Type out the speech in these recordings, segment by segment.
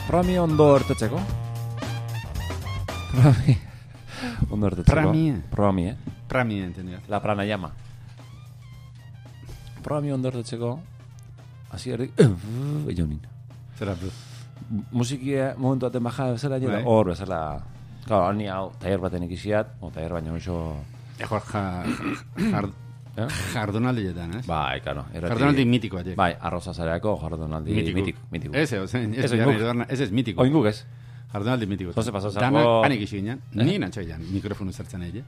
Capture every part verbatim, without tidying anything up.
Prami ondo ertetzeko. Prami ondo ertetzeko. Prami. Prami, eh? Prami, entendido. La pranayama. Prami ondo ertetzeko. Así erdik. Ejonin. Zera, Musikia momentu aten baja bezala jela. Hor bezala. Claro, ni hau taller baten ikisiat, o taller baina oso... Ejor, jardunaldietan, ez? Bai, claro. Jardunaldi mitikoa, jek. Bai, arroza zareako jardunaldi mitiko. mitiko. Ese, ese es mitiko. Oinguk ez. Jardunaldi mitiko. Zose pasazako... Dana, hanik isi ginen. Ni nantxoian, mikrofonu zertzen egin.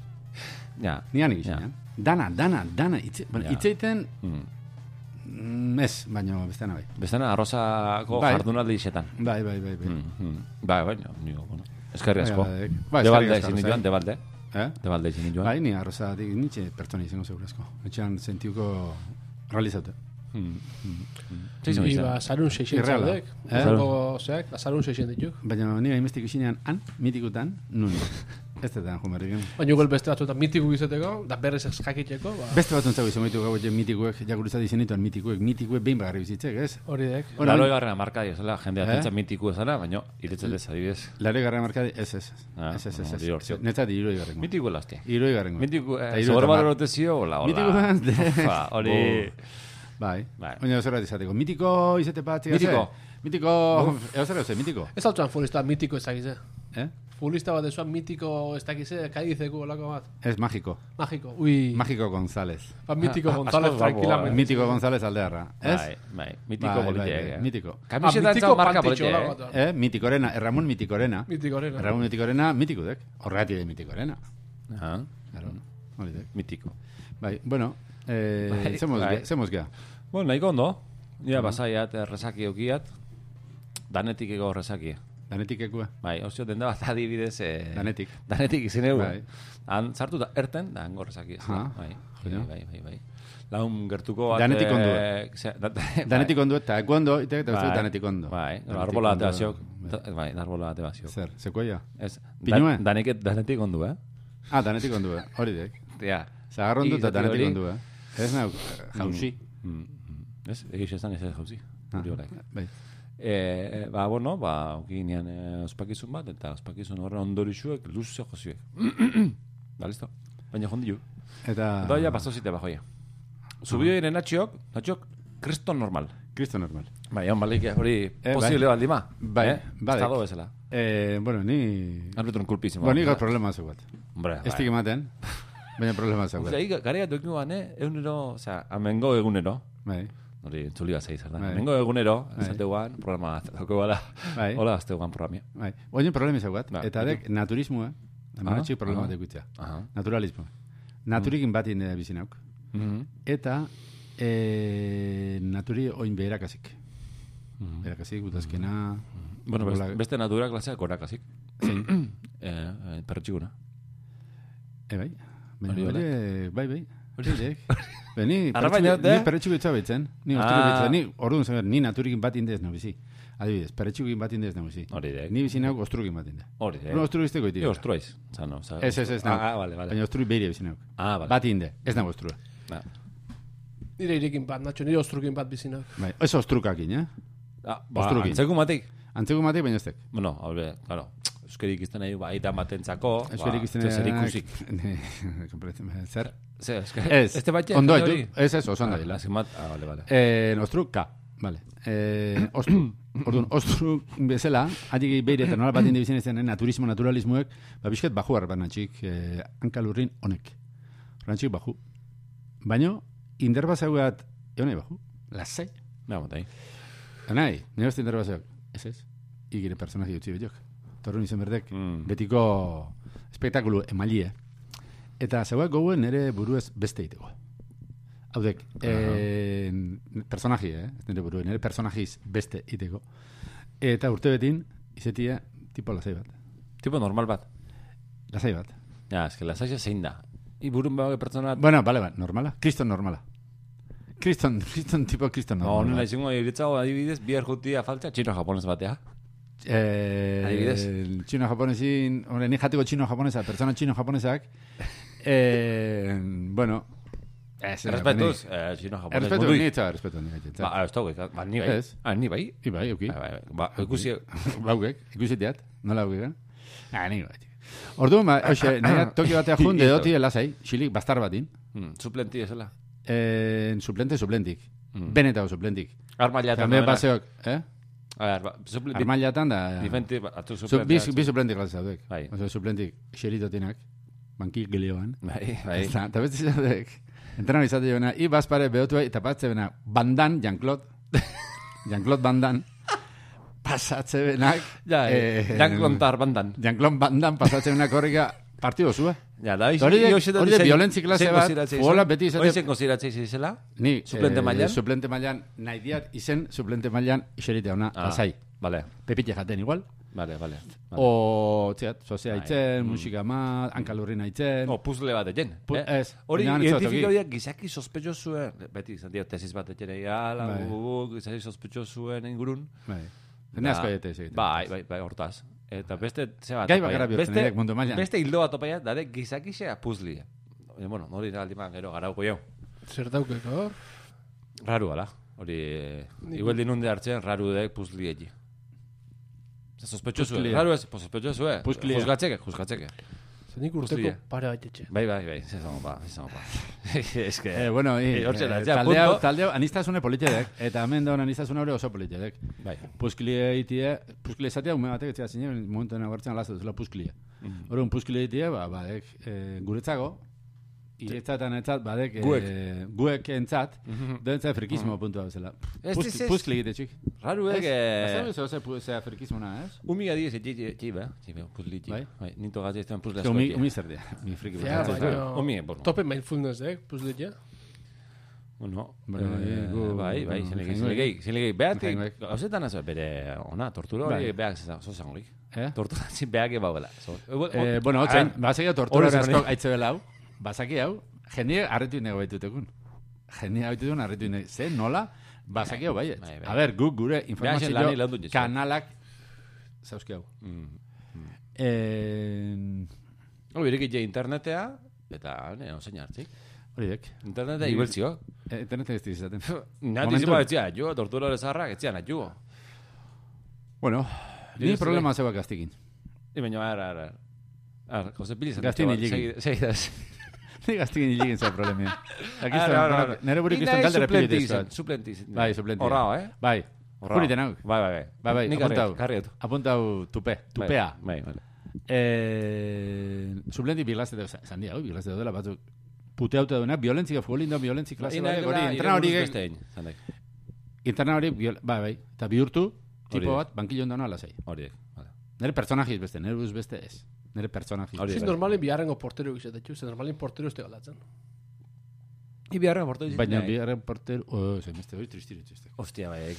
Ja. Ni hanik isi ginen. Dana, dana, dana. Itzeiten... Ez, baina bestean bai. Bestean arrozako jardunaldi isetan. Bai, bai, bai. Bai, baina, nio, bueno. Eskerri asko. Debalde izin joan, debalde. Eh? Debalde izin joan. Bai, ni arroza, nitxe pertsona izango segurazko. Etxean sentiuko realizatu. Iba, zarun seixen zaudek. Zeak, zarun seixen dituk. Baina nire imestik isinean, han, mitikutan, nun. Ez detan, jumerriken. Baina gol beste batzuetan mitiku izeteko, da berrez jakiteko. Beste batzun zago izan gaitu gau mitikuek, jakurizat izenituan mitikuek, mitikuek behin bagarri bizitzek, ez? Hori dek. Laroi garrera markadi ezala, jende atentzat mitiku ezala, baina iretzat ez adibidez. Laroi garrera markadi, ez, ez. Ez, ez, ez. Netzat iroi garrengo. Mitiku elaste. Iroi garrengo. Mitiku, zogor balorote zio, hola, hola. Mitiku, hori... Bai, baina zerrat izateko. Mitiko izate patzi gaze? Mitiko. Mitiko, eo zer euze, mitiko? Ez altzuan futbolista mitiko ez dakize. Eh? Futbolista bat ezuan mitiko ez dakize, kaidizeko olako bat. Ez, mágico. Mágico, ui. Mágico González. Ba, mitiko González, tranquilamente. Mitiko González aldearra. Ez? Bai, bai, mitiko politiek. Mitiko. Kamisetan zau marka politiek. Eh, mitikorena, Ramon Mitikorena. Mitikorena. Ramon Mitikorena, mitikudek. Horregati de Mitikorena. Ah, hori dek. Mitiko. Bai, bueno, eh, zemuz gea. Bueno, nahiko ondo. Ja, basaiat, rezaki eukiat. Danetik ego rezaki. Danetik ekua? Bai, osio denda bat adibidez... Danetik. Danetik izin egu. Bai. Han sartu da erten, da hango rezaki. Bai, bai, bai, bai. Laun gertuko... Danetik ondo. Danetik ondo eta ekuondo, ite eta uste danetik ondo. Bai, arbola ate baziok. Bai, arbola ate baziok. Zer, sekoia? Ez. Pinue? Danetik ondo, eh? Ah, danetik ondo, eh? Hori dek. Ja. Zagarron dut eta danetik ondo, eh? Ez nahi, jauzi. Ez, egiz esan ez ez jauzi. Hori horak. Bai. E, ba, bueno, ba, okinean e, ospakizun bat, eta ospakizun horren ondorixuek luze joziuek. Ba, listo. Baina jondiu. Eta... Eta ja, pasozite bajoia. Zubio ere natxiok, natxiok, kriston normal. Kriston normal. Bai, hon balik hori posible baldi ma. Bai, bai. Estado bezala. Eh, bueno, ni... Arbitron kulpizimo. Bueno, ni gaur problema zeugat. Hombre, bai. Estik ematen, baina problema zeugat. Osea, garea duekin guan, eh? Egunero, osea, amengo egunero. Bai. Hori, entzuli bat zeiz, da. Mengo egunero, esateuan, programa dauko gara. Hola, azteuan programia. Bai. Oien problemi zaugat. Eta dek, naturismoa, amenatxik problema dekuitzea. Naturalismoa. Naturikin bat inde bizinauk. Eta naturi oin beherakasik. Beherakasik, gutazkena... Bueno, beste natura klaseak gorakasik. Zein? Perretxiguna. E, bai. Bai, bai. Hori dek. Ni perretxuko itza behitzen. Ni ostruko Ni, orduan zen, ni naturikin bat indez no bizi. Adibidez, perretxukin bat indez no bizi. Hori dek. Ni bizi nauk ostrukin bat indez. Hori dek. No, ostru izteko iti. Ni ostruaiz. Ez, ez, ez. Ah, vale, vale. Baina ostru behiri bizi nauk. Ah, vale. Bat inde. Ez nago ostrua. Nire irekin bat, Nacho. Nire ostrukin bat bizi nauk. Bai, ez ostrukakin, eh? Ah, antzeku matik. Antzeku matik, baina ez tek. Bueno, haure, claro. Euskerik izten nahi, ba, aitan batentzako. Euskerik izten nahi. Zer ikusik. Zer? Zer, ez. Este batxe? Ondo, ez, ez, oso ondo. Ah, vale, vale. Eh, ostru, ka. Vale. Eh, ostru. Orduan, ostru bezala, adik behire eta nola bat inde bizien ezten naturismo, naturalismoek, ba, bizket baju harban natxik, eh, hankalurrin honek. Rantxik baju. Baina, inderbazauat, egon nahi baju. Lasai. Na, motai. Nahi, nire beste inderbazauak. Ez ez. Igire personaji utzi betiok. Torrun izan berdek, mm. betiko espektakulu emalie. Eta zeuak gouen nire buruez beste iteko. Haudek, uh -huh. e, personaji, eh? Nire buruen, nire personajiz beste iteko. Eta urte betin, izetia, tipo lasai bat. Tipo normal bat? Lasai bat. Ja, eske lasai zein da. I burun behar pertsona... Bueno, bale bat, normala. Kriston normala. Kriston, kriston tipo kriston normala. No, nila izango iritzago adibidez, bihar jutia falta, txino-japonez batea. Eh, adibidez. Txino-japonesin, hombre, ni jateko txino-japonesa, pertsona txino-japonesak, eh, bueno, Ez, Errespetuz, chino japonez. Errespetu ni eta errespetu ni gaitza. Ba, ez dago, ba, ni bai. Ah, ni bai. I bai, oki. Ba, ikusi... Baugek, ikusi teat, nola gugen. Ah, ni bai. Ordu, ma, hoxe, nahi Tokio batea junde doti elasai, xilik, bastar batin. Suplenti esela. Suplente, suplentik. Benetago suplentik. Armailatan. També paseok, eh? Armailatan da... Difenti, atu suplentik. Bi suplentik glas zaudek. Bai. Oso, suplentik, xeritotinak, bankik gilioan. Bai, bai. Eta beste zaudek, entrenan izate joana, i bazpare behotu eta patze bena, bandan, Jean-Claude, Jean-Claude bandan, pasatze benak... Ja, Jean-Claude tar bandan. Jean-Claude bandan pasatze benak horrika partido zua. Ja, da, hori de violentzi klase bat, fuola beti izate... Hori zen konsideratzei zizela? Ni, suplente mailan? Suplente mailan, nahi diat, izen suplente mailan, iserite hona, lasai. Vale. Pepite jaten igual. Vale, vale. O, txat, sozea haitzen, musika ma, hankalurrin haitzen. O, puzle bat egen. Ez. Hori, identifika horiak gizaki sospetxo zuen, beti, izan dira, tesis bat egen egala, gizaki sospetxo zuen ingurun. Bai. Zene asko egite ez egite. Bai, bai, bai, hortaz. Eta beste, ze bat, gai bakarra bihurtzen, ere, mundu mailan. Beste hildo bat opaia, dade gizakixea puzlia. Bueno, nori aldiman gero garauko jau. Zer daukeko? Raru, ala. Hori, igual dinunde hartzen, raru dek puzliegi. Sospecho zuen. Raru ez, sospecho zuen. Puzlia. Juzgatzeke, juzgatzeke. Zenik urteko pare bat etxe. Bai, bai, bai, zezamo pa, zezamo pa. Ez que... Eh, bueno, i, taldeo, taldeo, anistazune politedek, eta hemen daun anistazune hori oso politedek. Bai. Puzklie itie, puzklie zatea, ume batek etzea zinen, momentu nagartzen alazat duzela puzklie. Hori, un puzklie itie, ba, badek, guretzago, iretzatan etzat, badek, guek entzat, doentzat frikismo puntua bezala. Puzklie egite txik. Raru ege... Bazen bezo zea frikismona, ez? Umi gadi ez, txibe, txibe, puzli txibe. Bai? Ninto gazi ez tean puzle asko. Umi zer dea, mi friki. Umi, bueno. Tope mindfulness, eh, puzle txia. Bueno, bai, bai, zenlegei, zenlegei, behatik, hauzetan ez bere, ona, tortura hori behak zozangolik. Tortura zin behak eba bela. Bueno, hotzen, basaki tortura asko aitze bela hau, basaki hau, jende arretu nego baitutekun. Jende baitutekun arretu nego, ze, nola, basaki hau baiet. A ber, guk gure informazio kanalak zauzki hau. Hori, irekitze internetea, eta, ne, osein hartzik. Horidek. Internetea ibeltzio. Internetea ez dizaten. Nati zipa etzia, jo, tortura lezarrak etzia nahi jo. Bueno, ni problema zeba gaztikin. I baina, ara, ara. Ara, Jose Pili zan. Gaztin hiligin. Segidaz. Ni gaztikin hiligin zeba problemia. Nere burik izan galdera pilitezkoa. Suplenti. Bai, suplenti. Horrao, eh? Bai. Puriten hau. Bai, bai, bai. Bai, bai, apuntau. Karrietu. Apuntau tupe. Tupea. Bai, bai. Suplenti biglazte dut. Zandia, hau, biglazte dut dela batzuk. Pute haute duena, violentzia, futbolindon violentzia klase hori, hori, entrena hori... Entrena hori, bai, bai, eta bihurtu, tipo bat, bankillon dauna alazai. Hori, nire personajiz beste, nire buz beste ez. Nire personajiz. Ziz normalin biharrengo portero gizatetxu, ze normalin portero este galatzen. I biharren portero gizatetxu. Baina biharren portero... Oh, ze, meste, hori tristiru txiste. Hostia, bai,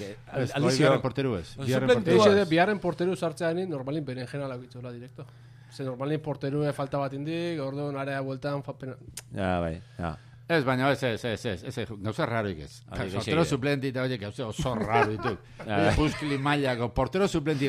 biharren portero ez. Biharren portero sartzean normalin berenjena laguitzola direkto. Se normalmente portero falta bat indik, orduan area bueltan fa pena. Ja, bai, ja. Ez, baina ez, ez, ez, ez, ez, gauza raro ikez. Portero suplenti eta, oie, gauza oso raro dituk. Puzkili mailako, portero suplenti,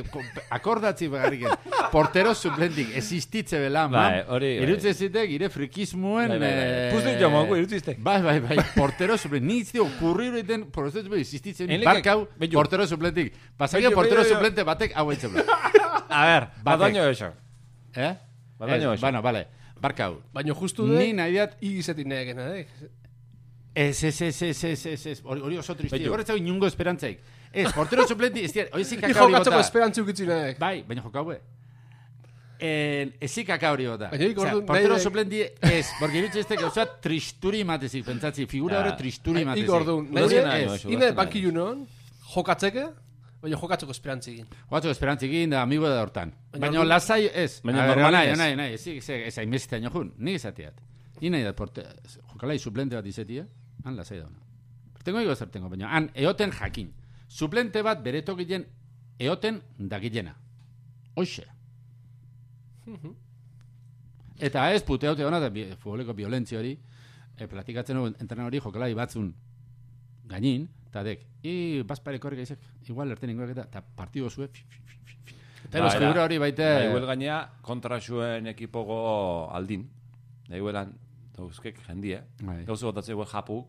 akordatzi begarrik ez. Portero suplenti, existitze belan, bai, hori, bai. Irutze zitek, ire frikismuen... Bai, bai, bai. Puzkili jamoako, irutzizte. Bai, bai, bai, portero suplenti. Ni iztio, kurriru iten, portero suplenti, existitze, barkau, portero suplenti. Pasakia portero suplente batek, hau eitze A ver, badaño eso. Eh? Badaño eso. Bueno, vale. Barkau. Baina justu dek... Ni nahi diat... Igizetik nahi egin, eh? Ez, ez, ez, ez, ez, ez, ez. Hori oso tristi. Hori ez dago inungo esperantzaik. Ez, portero suplenti, ez diat, hori zik kaka hori bota. Jokatzeko esperantzi ukitzi nahi. Bai, baina jokaue. Ez zik kaka hori bota. Portero suplenti ez, porque irutxe ez gauza tristuri matezik, pentsatzi, figura hori tristuri matezik. Iko orduan, nahi ine banki junon, jokatzeke, baina jokatzeko esperantzikin. Jokatzeko esperantzikin da amigo da hortan. Baina lasai ez. Baina normalin ez. Nahi, nahi, ez, ez, hain mesita jun. Ni izatiat. Ni nahi dat, jokalai suplente bat izetia, han lasai dauna. Tengo ego zer tengo, baina han eoten jakin. Suplente bat bere tokilen eoten dagilena. Hoxe. Eta ez puteaute dona, eta futboleko violentzi hori, platikatzen hori, entrena hori jokalai batzun gainin, eta dek, i bazpareko hori gaizek, igual erten ingoak eta, eta partido zue, eta eros figura hori baite... Da igual gainea kontra zuen ekipogo aldin, da iguelan Euskek jendia. Gauza botatzea guen japu.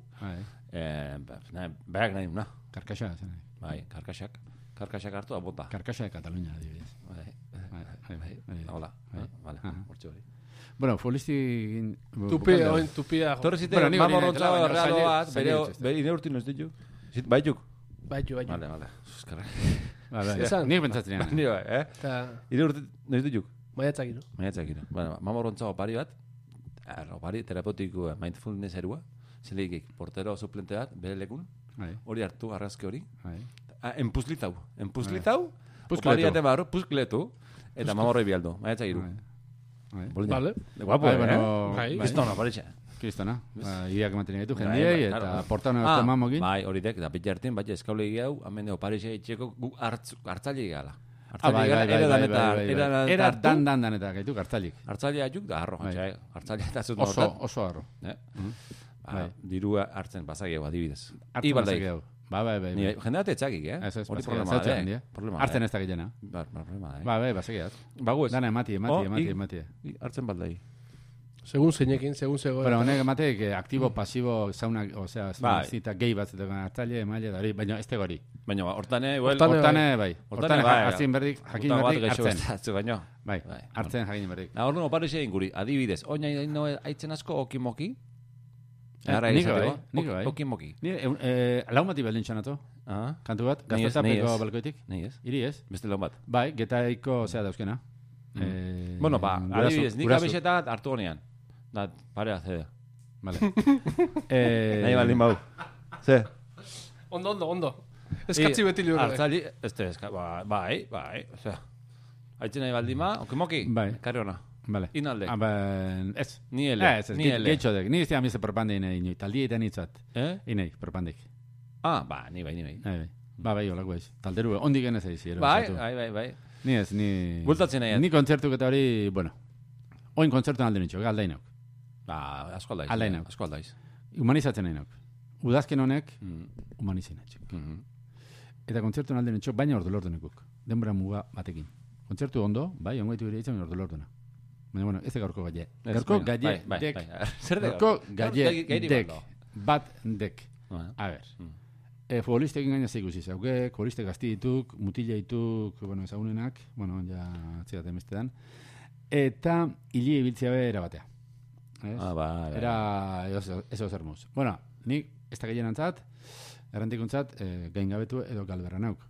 Berak nahi una. Karkaxa, zen. Bai, karkaxak. Karkaxak hartu da bota. Karkaxa de Katalunia, adibidez. Bai, hola. Vale, hortxe hori. Bueno, futbolisti... Tupia, oin tupia. Torrezite, mamorrontza realo bat, bere ineurtin ez ditu. Baituk? Baitu, baitu. Vale, vale. Eskarra. Nik pentsatzen ean. Ni bai, eh? Ineurtin ez ditu? Maiatzak ino. Maiatzak ino. Bueno, mamorrontza opari bat, opari terapeutiko mindfulness erua, zelegik portero suplente bat, bere lekun, hori hartu, arrazke hori. Enpuzlitau. Enpuzlitau, opari ate barro, puzkletu, eta mamorroi bialdu. Maiatzak iru. Vale. Guapo, eh? Kristona, paritxe. Kristona. Iak mantenea ditu jendiei, eta portano ez tomamokin. Bai, hori dek, da pitja hartin, bai, eskaule egiau, amende oparixe itxeko gu hartzaile egala. Ah, bai, bai, bai, bai, era dan dan dan eta gaituk hartzailik. Hartzailea juk da harro, hartzailea eta zut oso, oso harro. Dirua hartzen pasageu, adibidez. Hartzen pasageu. Ba, bai, bai. Jendea tetxakik, eh? Hori problema da, hartzen ez da gillena. Ba, problema da, eh? Ba, bai, basegiaz. Bago ez. Dana, emati, emati, emati, emati. Hartzen baldai. Segun zeinekin, segun zegoen. Pero honek emateik, aktibo, pasibo, zauna, osea, zita gehi bat zetekan hartzaile, emaile, da hori, baina ez tegori. Baina, hortane, igual... Hortane, bai. Hortane, hartzen berdik, jakin berdik, hartzen. Bai, hartzen jakin berdik. Na, hori no, pare zein guri, adibidez, oina ino haitzen asko okimoki? Niko bai, niko bai. Okimoki. Lau mati baldin txanato, kantu bat, gaztetapeko balkoitik. Nei ez. Iri ez. Beste lau bat. Bai, getaiko, zea dauzkena. Bueno, ba, adibidez, nik abixeta hartu honean. Da, pare azedea. Vale. Nahi baldin bau. Ze? Ondo, ondo, ondo. Eskatzi beti libre. Artzali, este, bai, bai, osea. Haitzen nahi baldin ba, okimoki? Bai. Karri hona. Vale. Inalde. Ez. Ni ele. Ez, ez, getxodek. Ni izte amize propande inei, inoi. Taldi eta nitzat. Eh? Inei, propandik. Ah, ba, ni bai, ni bai. Bai, bai. Ba, bai, olako ez. Talderu, ondik genez eiz. Bai, bai, bai, bai. Ni ez, ni... Bultatzen nahi. Ni kontzertuk eta hori, bueno. Oin kontzertu alde nitxo, aldainok. Ba, asko aldaiz. Aldainok. Asko aldaiz. Humanizatzen nahi nok. Udazken honek, humanizin etxik. Eta kontzertu alde nitxo, baina ordu lortu nekuk. Denbora muga batekin. Kontzertu ondo, bai, ongo ditu ere itzen ordu lortu na. Baina, bueno, ez da gaurko gaie. Gaurko gaie dek. Gaurko gaie dek. Bat dek. A ber. Futbolistekin gaina zeik usiz. Hauke, futboliste gazti dituk, mutila dituk, bueno, ezagunenak, bueno, ja txidat emestetan. Eta hili ibiltzea bera batea. Ah, ba, era ez ozer muz. Bueno, nik ez da gehien antzat, errantikuntzat, gain gabetu edo galberra nauk.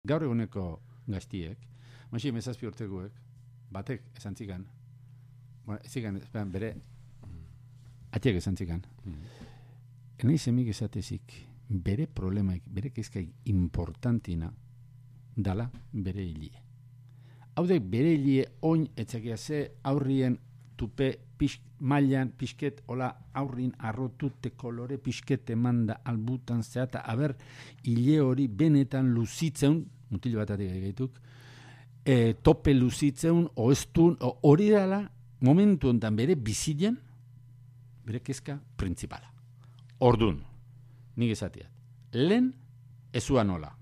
Gaur eguneko gaztiek, maixi emezazpi urteguek, batek esan txikan, bueno, ez zikan, bere, atiek esan txikan, enai zemik esatezik, bere problemaik, bere kezkaik importantina, dala bere hilie. Haudek bere hilie oin etxakia ze aurrien tupe pisk, mailan pisket, hola aurrin arrotute kolore pisket emanda albutan zeata, aber hilie hori benetan luzitzeun, mutil batatik gaituk, e, tope luzitzeun, oestun, hori dala, momentu ontan bere bizilen, bere kezka principala. Ordun, nik esatiat. Lehen, ezuan hola.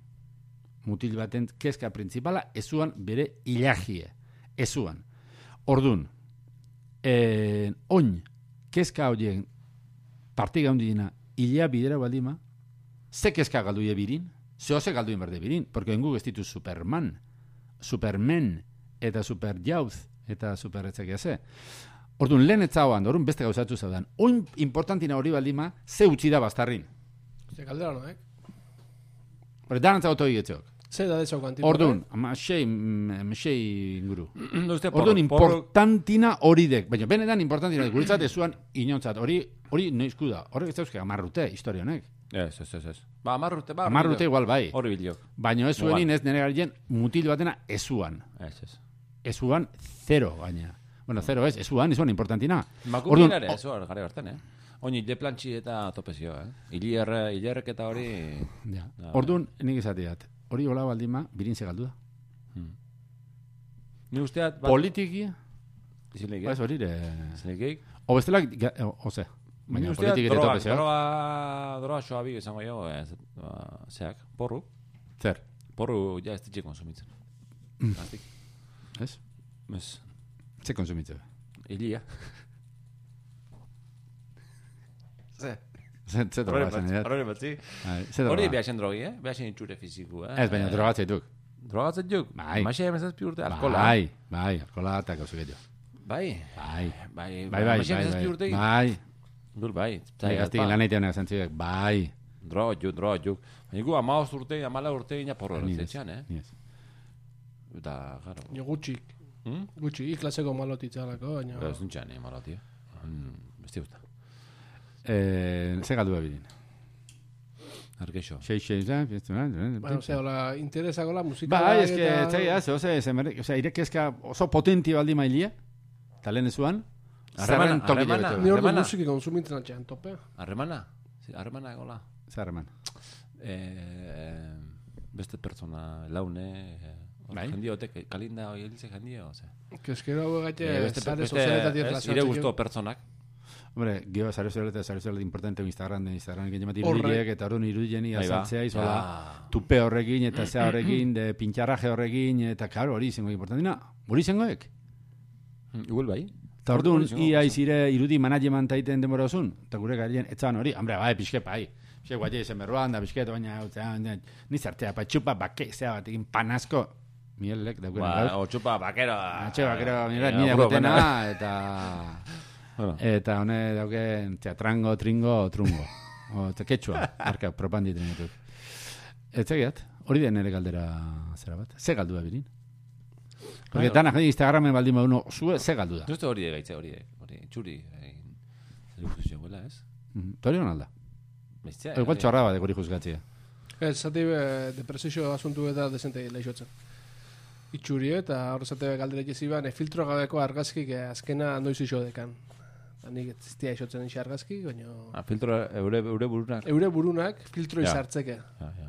Mutil baten kezka principala, ezuan bere ilagie. Ezuan. Ordun, eh, oin, kezka horien partiga hundina, ilea bidera baldima, ze kezka galduie birin, ze hoze galduien berde birin, porque engu gestitu Superman, Superman, eta Superjauz, eta Superretzakia ze. Ordun, lehen etzagoan, orduan beste gauzatzu zaudan. Oin importantina hori baldima, ze utzi da bastarrin. Ze kaldera noek? Hore, danantza goto egietzeok. Ze da dezo kantipo. Ordun, masei, masei inguru. Ordun, importantina hori dek. Baina, benetan importantina guretzat ezuan inontzat. Hori, hori noizku da. Horrek ez dauzke amarrute, historia honek. Ez, ez, ez, ez. Ba, amarrute, ba. Amarrute igual bai. Hori biliok. Baina ez zuenin ez nire garien mutil batena ezuan. Ez, ez. Ezuan, zero gaina. Bueno, zero ez, ezuan, ezuan importantina. Makumin ere, ezuan, gare garten, eh? Oin, hile plantxi eta topezio, eh? Hilerrek eta hori... Ja. Orduan, nik izatiat. Hori hola baldima, birin segaldu da. Hmm. Ni usteat... Politikia... Izileik, eh? Ba, ez hori, eh... Izileik? O bestelak, ose. Baina politikia eta topezio. Droga, droga xoa bi, esango jo, eh, zeak, porru. Zer? Porru, ja, ez ditxe konsumitzen. Mm. Ez? Ez. Ze konsumitzen? Ilia. Ze. Ze droga zen, eh? Horre batzi. Hori behasen drogi, eh? Behasen itxure fiziku, eh? Ez, baina drogatzeituk. Drogatzeituk? Bai. Maixea emezazpi urte, alkola. Bai, bai, alkola eta gauzu gehiago. Bai. Bai. Bai, bai, bai, emezazpi urte. Bai. Dul, bai. Bai, gaztik lan eitea honek zentziek, bai. Drogatxuk, drogatxuk. Baina gu amaoz urte, amala urte, ina porro eratzetxean, eh? Ni ez. Eta, garo. Jo, gutxik. Gutxi, iklaseko malotitzalako, baina... Ez duntxean, eh, maloti, eh? Besti usta. Ze galdu bebidin? Arkeixo. Xei, xei, xei, Bueno, ose, hola, interesako la musika... Ba, ez que, txai, ez, ose, ose, irekezka oso potenti baldi mailia, talen ezuan, Arremana, arremana. Ni ordu musiki konsumitzen atxean, tope. Arremana? Arremana egola. Ze arreman? Beste pertsona laune... Bai? Jendiotek, kalinda hori elize jendio, ose. Keskero gaitu, zare sozialetatik erlazioatzen. Ire guztu pertsonak. Hombre, gio, zare sozialeta, zare sozialeta importante Instagram, Instagram egin jemat irudiek, eta horren irudien azaltzea, izola, tupe horrekin, eta zea horrekin, de pintxarraje horrekin, eta karo, hori izango importantina. Hori izangoek? Igual bai. Eta orduan, ia izire irudi management taiten denbora osun, eta gure garien, etzan hori, hombre, bai, pixke, bai. Pixke, guatia izan berroan, da pixke, baina, nizartea, pa txupa, bake, zea batekin, panazko, Mielek, daukena gaur. Ba, otxupa, bakero. Otxupa, bakero, mira, nire gotena, eta... Eta hone dauken, teatrango, tringo, trungo. O, teketxua, marka, propandi trenetuk. Ez egiat, hori den ere galdera zera bat. Ze galdu da birin? Porque danak, Instagramen baldin bauno, zue, ze galdu da? Justo hori egaitze, hori hori txuri. Zer ikusi guela, ez? Tori hon alda? Igual txorra bat, gori juzgatzea. Ez, zati depresio asuntu eta desente lehixotzen. Itxuri eta horrezate galdera jeziban, filtro gabeko argazkik azkena noiz iso dekan. Nik ez ziztia isotzen iso argazkik, baina... Ah, filtro eure, eure burunak? Eure burunak filtro ja. izartzeke. Ja, ja.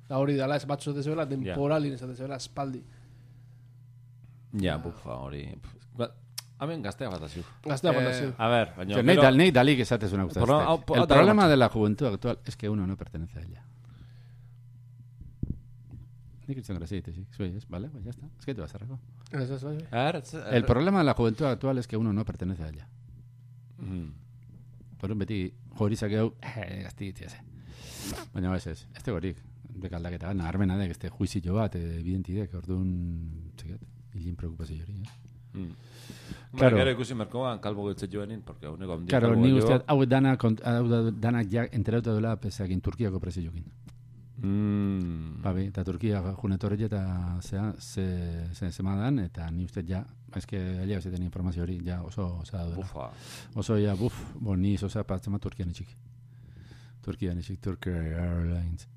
Da hori dala ez batzu zatezebela, temporalin ez zatezebela, espaldi. Ja, bufa, hori... Hemen gaztea bat aziu. Gaztea bat aziu. A ver, baina... Nei pero... dal, dalik esatez una gustazte. El problema de la juventud actual es que uno no pertenece a ella. Nik itzen graziete, sí. Zuei, ez, vale, pues ya está. Es que te vas a arrego. El problema de la juventud actual es que uno no pertenece a ella. Por un beti, jorizak hau, eh, gazti gitzia ze. Baina ez ez, ez tegorik. Bekaldaketa gana, armena dek, este juizillo bat, evidentidek, orduan, txekat, hilin preocupazio hori, eh? Claro, gero ikusi merkoan kalbo giltze joanin, porque uneko ondik claro, ni usteat, hau danak, hau danak ja enterauta duela pesakin Turkiako preziokin. Mm. Babi, eta Turkia junetorri eta zea, ze, ze zemadan, eta ni uste ja, eske alia bezeten informazio hori, ja oso, oso da duela. Bufa. Oso, ja, buf, bon, ni zoza patzema Turkian etxik. Turkian etxik, Turkish Airlines.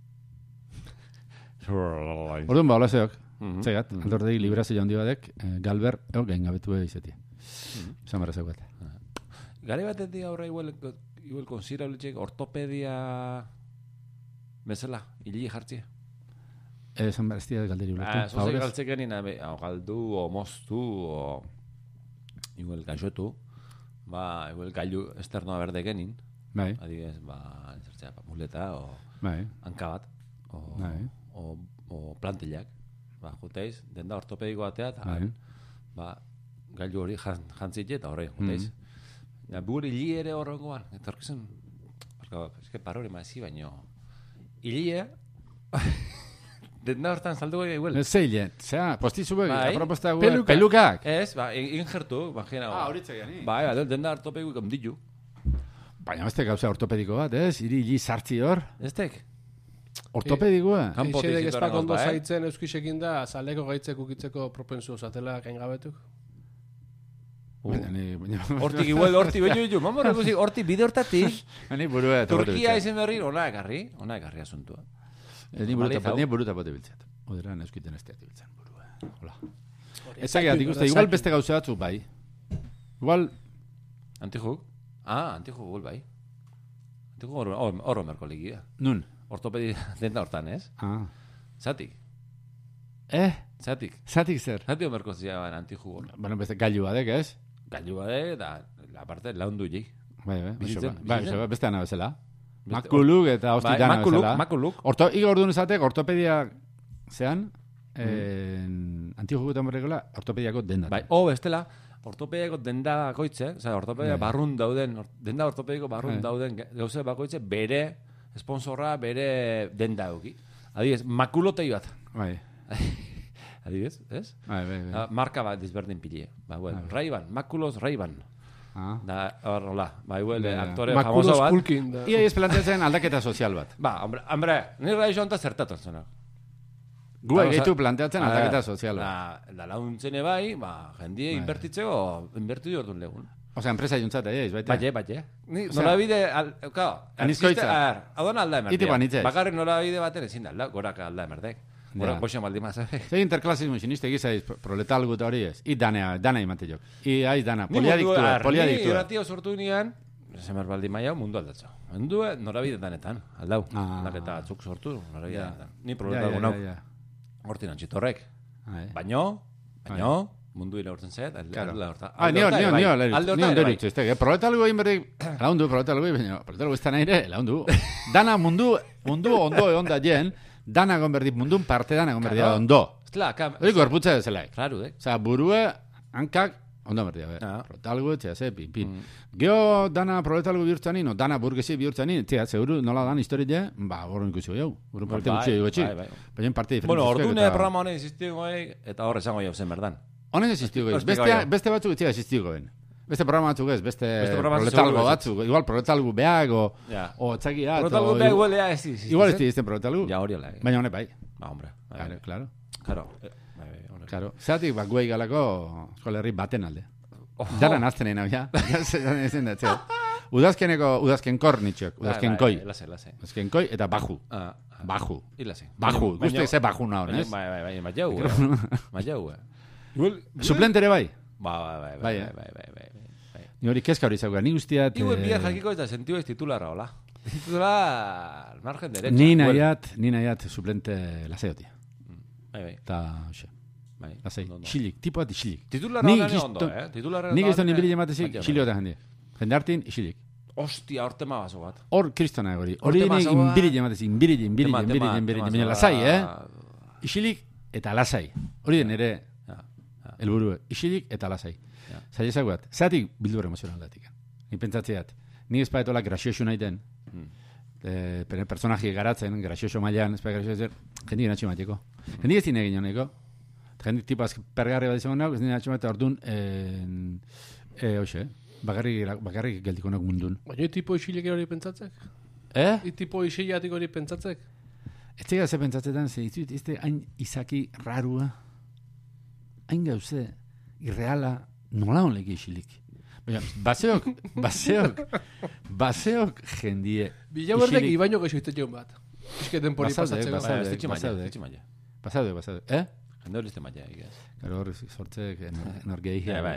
Orduan ba, hola zeok, zegat, mm -hmm. aldordegi librazio jaundi badek, eh, galber, eo, gain gabetu izeti. Esan barra zeugat. Gare batetik aurra igual, igual konsiderabletxek, ortopedia... Bezala, hili jartzea. Esan behar, ez dira galderi ulertu. Ah, zoze galtzeken nina, galdu, o moztu, o... Igual gaixotu. Ba, igual gailu esternoa berdekenin. Bai. Adibidez, ba, zertzea, muleta, o... Bai. Hanka bat. O, bai. O, o plantillak. Ba, juteiz, denda ortopediko batea, eta... Bai. Ba, gailu hori jantzitxe, eta horre, juteiz. Mm -hmm. Bugur hili ere horrengoan. Eta horrezen... Ez que parore mazi, baino... Ilia, denda hortan saldu gai igual. Zeile, zera, postitzu begi, bai. aproposta gu, Peluka. pelukak. Ez, ba, ingertu, imagina. Ah, horitzak gani. Bai, ba, denda ortopediko ikom ditu. Baina beste gauza ortopediko bat, ez? Iri hili sartzi hor. Eztek? Ortopedikoa. Eixedek espak ondo zaitzen euskisekin da, zaleko gaitzek ukitzeko propensu zatela gain gabetuk. Hortik igual, hortik beño ditu, mamor, hortik bide hortatik. Ni burua. Turkia izen berri, ona ekarri, ona ekarri asuntua. Ni buruta pote biltzat. Oderan euskiten ez teat biltzen burua. Hola. Ezageat ikuste, igual beste gauza batzu bai. Igual... Antijuk? Ah, antijuk gul bai. Antijuk horro merko ligia. Nun? Ortopedi denta hortan, ez? Ah. Zatik. Eh? Zatik. Zatik zer? Zatik merko ziaban antijuk hor. Bueno, beste gailu badek, ez? Gailu badek, da, la parte, laundu jik. Bai, bai, bai, beste ana bezala. Makuluk eta hosti dana bezala. Makuluk, makuluk. Igo orduan esatek, ortopedia zean, antigugutan berrekola, ortopediako dendat. Bai, o bestela, ortopediako denda bakoitze, oza, ortopedia barrun dauden, denda ortopediko barrun dauden gauze bakoitze bere sponsorra, bere denda euki. Adibidez, makulotei bat. Bai. Adibidez, ez? Bai, bai, bai. Marka bat disberdin pile. Ba, bueno, Ray-Ban, Makulos Ray-Ban. Ah. Da, horrela, bai, huele, aktore famoso bat. Makulos Ia ez planteatzen aldaketa sozial bat. Ba, hombre, hombre, nire joan ta zertatu zena. Gu egitu planteatzen aldaketa sozial bat. Da, da launtzene bai, ba, jendie inbertitzeko, inbertu diordun legun. Osea, enpresa juntzat, eh, baita. Baie, baie. Ni norabide, claro, anizkoitza. Hau da alda emerdea. Iti banitzez. Bakarrik norabide baten ezin da, alda, goraka alda emerdek. Gora, boxe maldi maz, eh? Zer interklasismo siniste gizaiz proletalgut hori ez. I danea, dana imate jok. I aiz dana, poliadiktua, poliadiktua. Ni irratio sortu nian, zemer baldi maia, mundu aldatzo. Mundu norabide danetan, aldau. Aldaketa atzuk sortu, norabide danetan. Ni proletalgu nau. Hortin antxitorrek. Baino, baino, mundu ira hortzen zet, alda horta. Ah, nio, nio, nio, nio, nio, nio, proletalgu egin berdik, laundu, proletalgu egin, proletalgu ez da nahi ere, laundu. Dana mundu, mundu ondo egon da jen, dana gonberdit mundun parte dana gonberdit claro. Ondo. Hori gorputza dezelaik. Claro, eh? Osa, burue, hankak, ondo berdia, be. Ah. Proletalgu, txea, ze, pin, pin. Mm. Geo dana proletalgu bihurtzanin, o dana burgesi bihurtzanin, txea, seguru nola dan historia, ba, horren ikusi jau. Horren parte gutxi dugu etxi. Baina parte diferente. Bueno, ordune programa honen existigo, eta horre esango jau zen, berdan. Honen existigo, beste batzuk etxia existigo, ben. Beste programa batzuk ez, beste, beste proletalgo batzuk, igual proletalgu beag, o, yeah. o txakiat. Proletalgu beag igual ea ez izi. Igual ez izten proletalgu. Ja, hori hola. Baina honek bai. Ba, hombre. Claro, claro. Claro. Claro. Zeratik, ba, guai galako eskola herri baten alde. Dara naztenen hau, ja. Ezen da, txea. Udazkeneko, udazken kor nitxok, udazken koi. Lase, lase. Udazken koi eta baju. Baju. Ilase. Baju. Guzti ze baju naho, nes? Bai, bai, bai, maiau, eh. Maiau, eh. Suplentere bai? Ba, bai, bai, bai, bai, bai. Ni hori kezka hori zauga, ni guztiat... Iuen bia jakiko eta sentiu ez titularra, hola. Titular margen derecha. Ni nahiat, ni nahiat suplente laseotia. Bai, bai. Ta, hoxe. Bai. Lasei, xilik, tipo bat xilik. Titularra gane ondo, eh? Titularra gane ondo. Nik ez da nibili jematezik, xilio eta jende. Jende hartin, xilik. Ostia, hor tema baso bat. Hor kristona hori. Hori nik inbili jematezik, inbili, inbili, inbili, inbili, inbili, lasai, eh? Xilik eta lasai. Hori den ere, helburu, xilik eta lasai. Zaila ezaguat, zatik bildur emozional datik. Ni pentsatzeat, ni espaetola gracioso naiten, mm. personaji garatzen, gracioso mailan, espai gracioso, jendik natxo mateko. Jendik ez dine egin honeko. Jendik tipaz pergarri bat izango nago, ez dine natxo matea ordun, hoxe, bakarrik geldiko nago mundun. Baina tipo isilek hori pentsatzek? Eh? I tipo isilatik hori pentsatzek? Ez tega ze pentsatzetan, ze izut, ez te hain izaki rarua, hain gauze, irreala, nola honleki isilik. Baina, baseok, baseok, baseok jendie. Bila berdek ibaino gexo iztetxeun bat. Izketen pori pasatzeko. Basaude, basaude, basaude. Eh? Jende hori izte maia, egaz. Garo hori sortzek, norgei hia. Bai,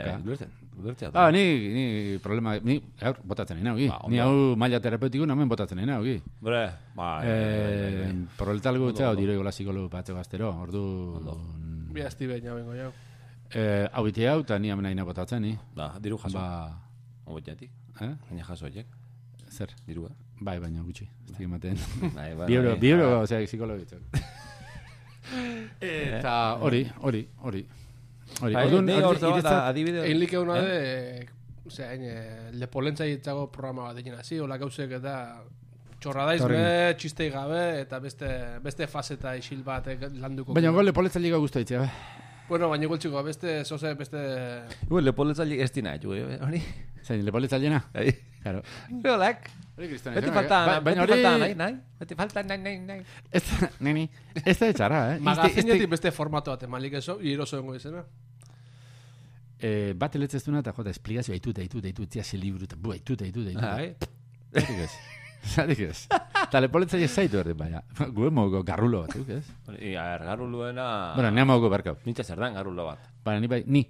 ah, ni, ni problema, ni, gaur, botatzen nahi naugi. Ni hau maila terapeutiko namen botatzen nahi naugi. Bre, bai. Proletalgu txau, diro egola psikologu batzeko aztero, ordu... Bia esti behin hau bengo jau. Eh, hau biti hau, eta ni amena ina botatzen, ni. Da, diru jaso. Ba... Obotiatik. Eh? Baina jaso horiek. Zer? Dirua. Bai, baina gutxi. Ez dik ematen. Bai, bai. Biuro, biuro, ozea, psikologitzak. Eta hori, hori, hori. Hori, orduan, adibide... Egin like hona de, ozea, lepolentza hitzago programa bat egin hasi, hola gauzek eta... Txorradaizme, txistei gabe, eta beste, beste faseta isil bat landuko. Baina gol lepoletza liga guztu ditzea, be. Bueno, baina gultxiko, beste, zoze, beste... Igual, lepoletza liga ez dina, jo, hori? Zain, lepoletza liena? Bai. Claro. Biolak. Beti falta, beti falta, nahi, nahi. Beti falta, nahi, nahi, nahi. Ez da, neni, ez da etxarra, eh? Magazinetik beste formato bat, malik eso, iroso dengo izena. Eh, bat eletzeztuna eta jota, esplikazio, aitu, aitu, aitu, tia se libru, eta bu, aitu, aitu, aitu. Zatik ez. Zatik ez. Eta lepoletza ez zaitu erdi, baina. Guen mogo garrulo bat, ez? I, a ver, garruloena... Bueno, nea mogo berkau. Nintza zer dan garrulo bat. Baina, ni bai, ni.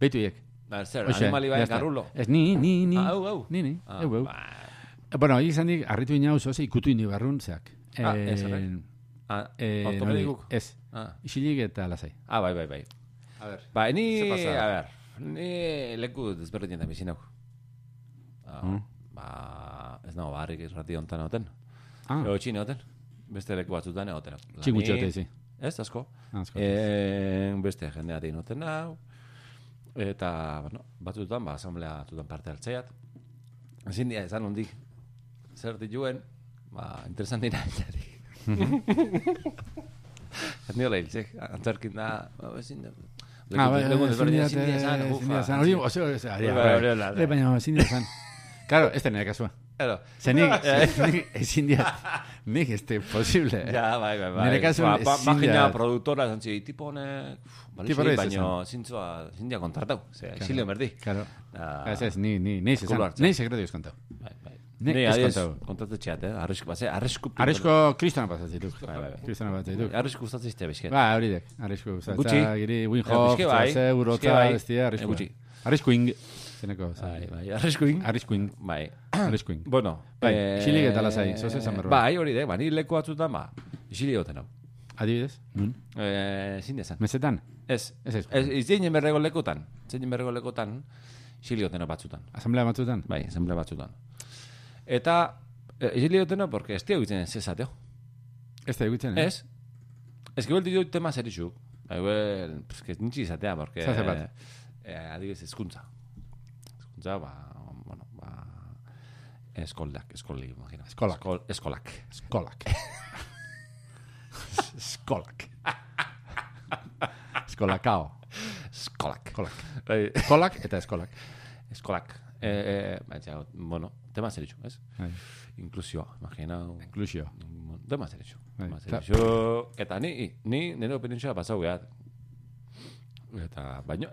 Beitu iek. Ba, zer, animali bai garrulo. Ez, ni, ni, ni. Ah, au, au. Ni, ni, au, au. Bueno, egin zandik, arritu inau zoze, ikutu indi barrun, zeak. Ah, ez, arrek. Ah, ortopedikuk. Ez, isilik eta lasai. Ah, bai, bai, bai. A ver. Ba, ni, a ver, ni leku desberdin da bizinau. Ba, ez nago, barrik irrati ontan egoten. Ah. Ego txine egoten. Beste leku batzutan egoten. Txingutxe egote, zi. Ez, asko. Asko. Beste jende atein egoten hau. Eta, bueno, batzutan, ba, asamblea tutan parte hartzeiat. Ezin dia, ezan hondik, zer dituen, ba, interesantina etxari. Ernio lehiltzek, antzarkin da, ba, ezin da... Ah, bai, ezin dia, ezin dia zan, hori, oso, baina ezin dia zan. Claro, ez da nire kasua. Claro. Zenik, ezin dia, nik este posible. Ja, bai, bai, bai. Nire kasua, ezin dia. Bagina produktora, zantzi, tipo honek, balixi, baina zintzua, ezin dia kontratau. Zer, exilio merdi. Claro. Ez ez, ni, ni, ni, ni sekretu izkontau. Bai, bai. Ni adiez, kontratu txeat, eh? Arrisku, base, arrisku... Arrisku kristona pasatzituk. Bai, bai, bai. Kristona pasatzituk. Arrisku gustatzizte bezket. Ba, hori dek. Arrisku gustatzea, giri, Winhoff, Zase, Urotza, bestia, arrisku. Arrisku ing. Zeneko, bai, bai, arriskuing. Arriskuing. Bai. Arriskuing. Bueno. Bai, isilik eta lasai, zoze zan berroa. Bai, hori de, bani leku batzutan, ba, isilik goten hau. Adibidez? Nun? Eh, zin dezan. Mesetan? Ez. Ez ez. Ez zeinen berrego lekutan. Zeinen berrego lekutan, isilik goten hau batzutan. Asamblea batzutan? Bai, asamblea batzutan. Eta, isilik goten hau, porque ez tia egitzen ez ezateo. Ez da egitzen, eh? Ez. Ez que belti dut tema zerizuk. Igual, pues que nintzi izatea, porque... Zaze bat. Adibidez, ezkuntza. Ja, ba, bueno, ba... Eskolak, eskolak, imagina. Eskolak. Eskolak. Eskolak. Eskolak. Eskolakao. Eskolak. Eskolak. Eskolak eta eskolak. Eskolak. Eh, eh, bueno, tema zeritxu, ez? Inklusioa, imagina. Inklusio. Tema zeritxu. Tema zeritxu. Eta ni, ni, nire opinioa pasau gehat. Eta, baina...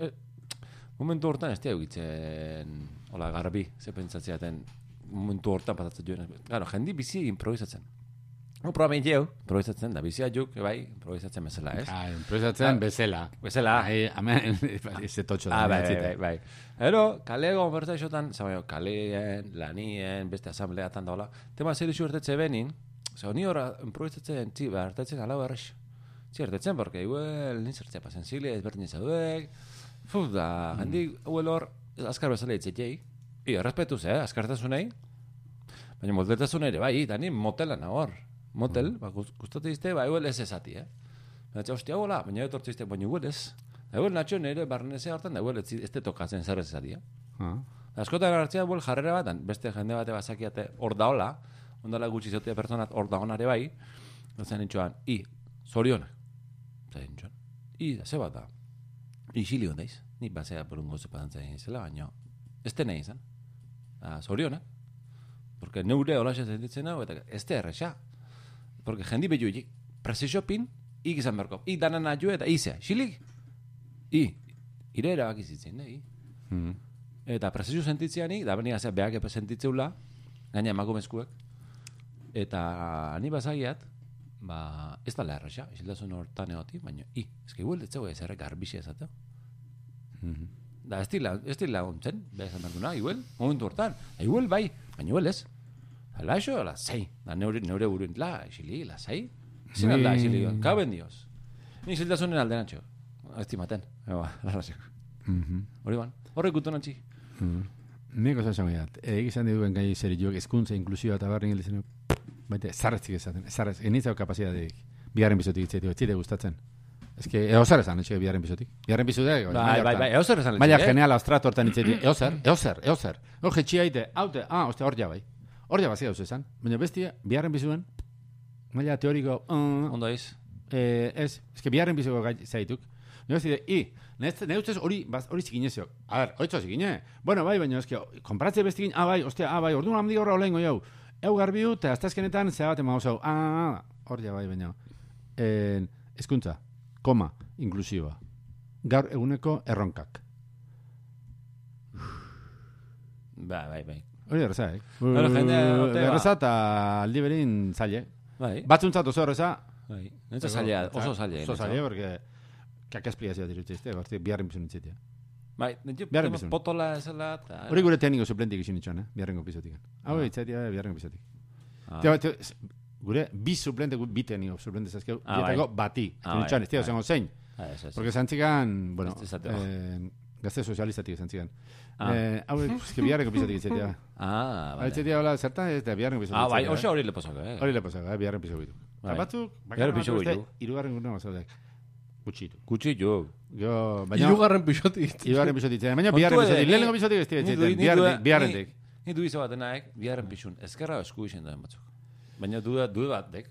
Momentu hortan ez tia egitzen, hola, garbi, ze pentsatzeaten, momentu hortan pasatzen joan. Claro, jendi bizi improvisatzen. No, probamen jeu, improvisatzen, da bizia juk, bai, improvisatzen bezala, ez? Ah, improvisatzen bezala. Bezala. Ai, amen, eze totxo da. Ah, bai, bai, bai. Ero, kalego, konversaixotan, zabaio, kaleen, lanien, beste asambleatan da, hola, tema zer isu ertetze benin, zau, ni horra improvisatzen, tzi, ba, ertetzen alau errex. Tzi, ertetzen, porque igual, nintzertzea pasen zile, ezberdin zaudek, Fuf, da, handi, huel hor, azkar bezala itzetiei. I, errespetuz, eh, azkartasunei. Baina moteltasun ere, bai, da ni motelan hor. Motel, ba, gustatu izte, ba, huel ez ezati, eh. Baina, txau, hostia, hola, baina etortzu izte, baina huel ez. Da, huel natxo nire barnezea hortan, da, huel ez te tokatzen zer ez ezati, eh. Askotan hartzea, huel jarrera bat, beste jende bate bazakiate hor da hola, ondala gutxi zautia personat hor da honare bai, zen nintxoan, i, zorionak. Zain nintxoan, i, da, ze bat da. Isilio daiz, ni basea por un gozo pasantzen izela, baina ez tena izan. Zorionak. Porque neure holaxe sentitzen hau, eta ez te erresa. Porque jendi behu hik, presizio pin, ik izan berko. I danan aju eta izea, xilik. I, ire erabak izitzen, i. Eta presizio sentitzean i, da beni azea behak epe sentitzeula, gaina emakumezkuek. Eta ni basagiat, ba, ez da leherresa, isildasun hortan egoti, baina i, ezke igual detzeu ez errek garbixia ezateu. Da, ez dila, ez dila ontzen, beha esan dantuna, igual, momentu hortan, igual bai, baina igual ez. La eso, la zei, da neure, neure buruen, la, isili, la zei, zin alda, isili, kaben dios. Ni isildasunen alde nantxo, estimaten, eba, larraseko. Hori ban, horrek gutu nantxi. Nik oso esan gaiat, egizan diduen gai zeri joak, eskuntza, inklusioa eta barren gildizen, baita, zarretzik ezaten, zarretzik, enitzau kapazitateik, bigarren bizotik itzetio, ez zide gustatzen. Ez que, eozer esan, etxe, biharren bizotik. Biharren bizotik, bai, bai, bai, eozer esan. Maila genial austratu hortan itzetio, eozer, eozer, eozer. Hor jetxia ite, haute, ah, oste, hor ja bai. Hor ja bazia eus esan. Baina bestia, biharren bizuen, maila teoriko, ondo ez. Ez, ez que biharren bizoko gai zaituk. Nio ez dide, i, ne ustez hori, hori zikinezio. A ver, oitzo zikine. Bueno, bai, baina ez que, konparatze bestikin, ah, bai, ostia, ah, bai, orduan hamdi horra olengo jau. Eu garbiu, eta aztazkenetan, zea bat ema osau, ah, hor ja bai, baina. Ezkuntza. Koma, inklusiba. Gaur eguneko erronkak. Bai, bai, bai. Hori erreza, eh? Bueno, jende, erreza eta aldi berin zaile. Bai. Batzuntzat oso erreza. Bai. Nentza zailea, oso zailea. Oso zailea, porque kak esplikazioa dirutzeizte, gorti, biharren bizun itzitea. Bai, nintzu, potola ezela. Hori gure tekniko suplentik isin itxoan, eh? Biharrengo pizotik. Hau, itzatia, biharrengo pizotik. Gure, bi suplente, bi tekniko suplente zazkeu, dietako bati. Itxoan, ez tira, zengo zein. Porque zantzikan, bueno, gazte sozializatik zantzikan. Hau, eske biharrengo pizotik itzatia. Ah, bai. Itzatia, hola, zertan, ez da biharrengo pizotik. Ah, bai, oso hori leposako, eh? Hori leposako, eh? Biharren pizotik. Batzuk, biharren pizotik. Irugarren gure mazaudek. Gutxitu. Gutxitu. Jo, baina... Irugarren pisotik. Irugarren pisotik. Baina biharren pisotik. Lehenengo pisotik ez dira. Biharrentik. Ni du izo batenaek, biharren pixun. Ezkerra esku izen duen batzuk. Baina dude bat, dek.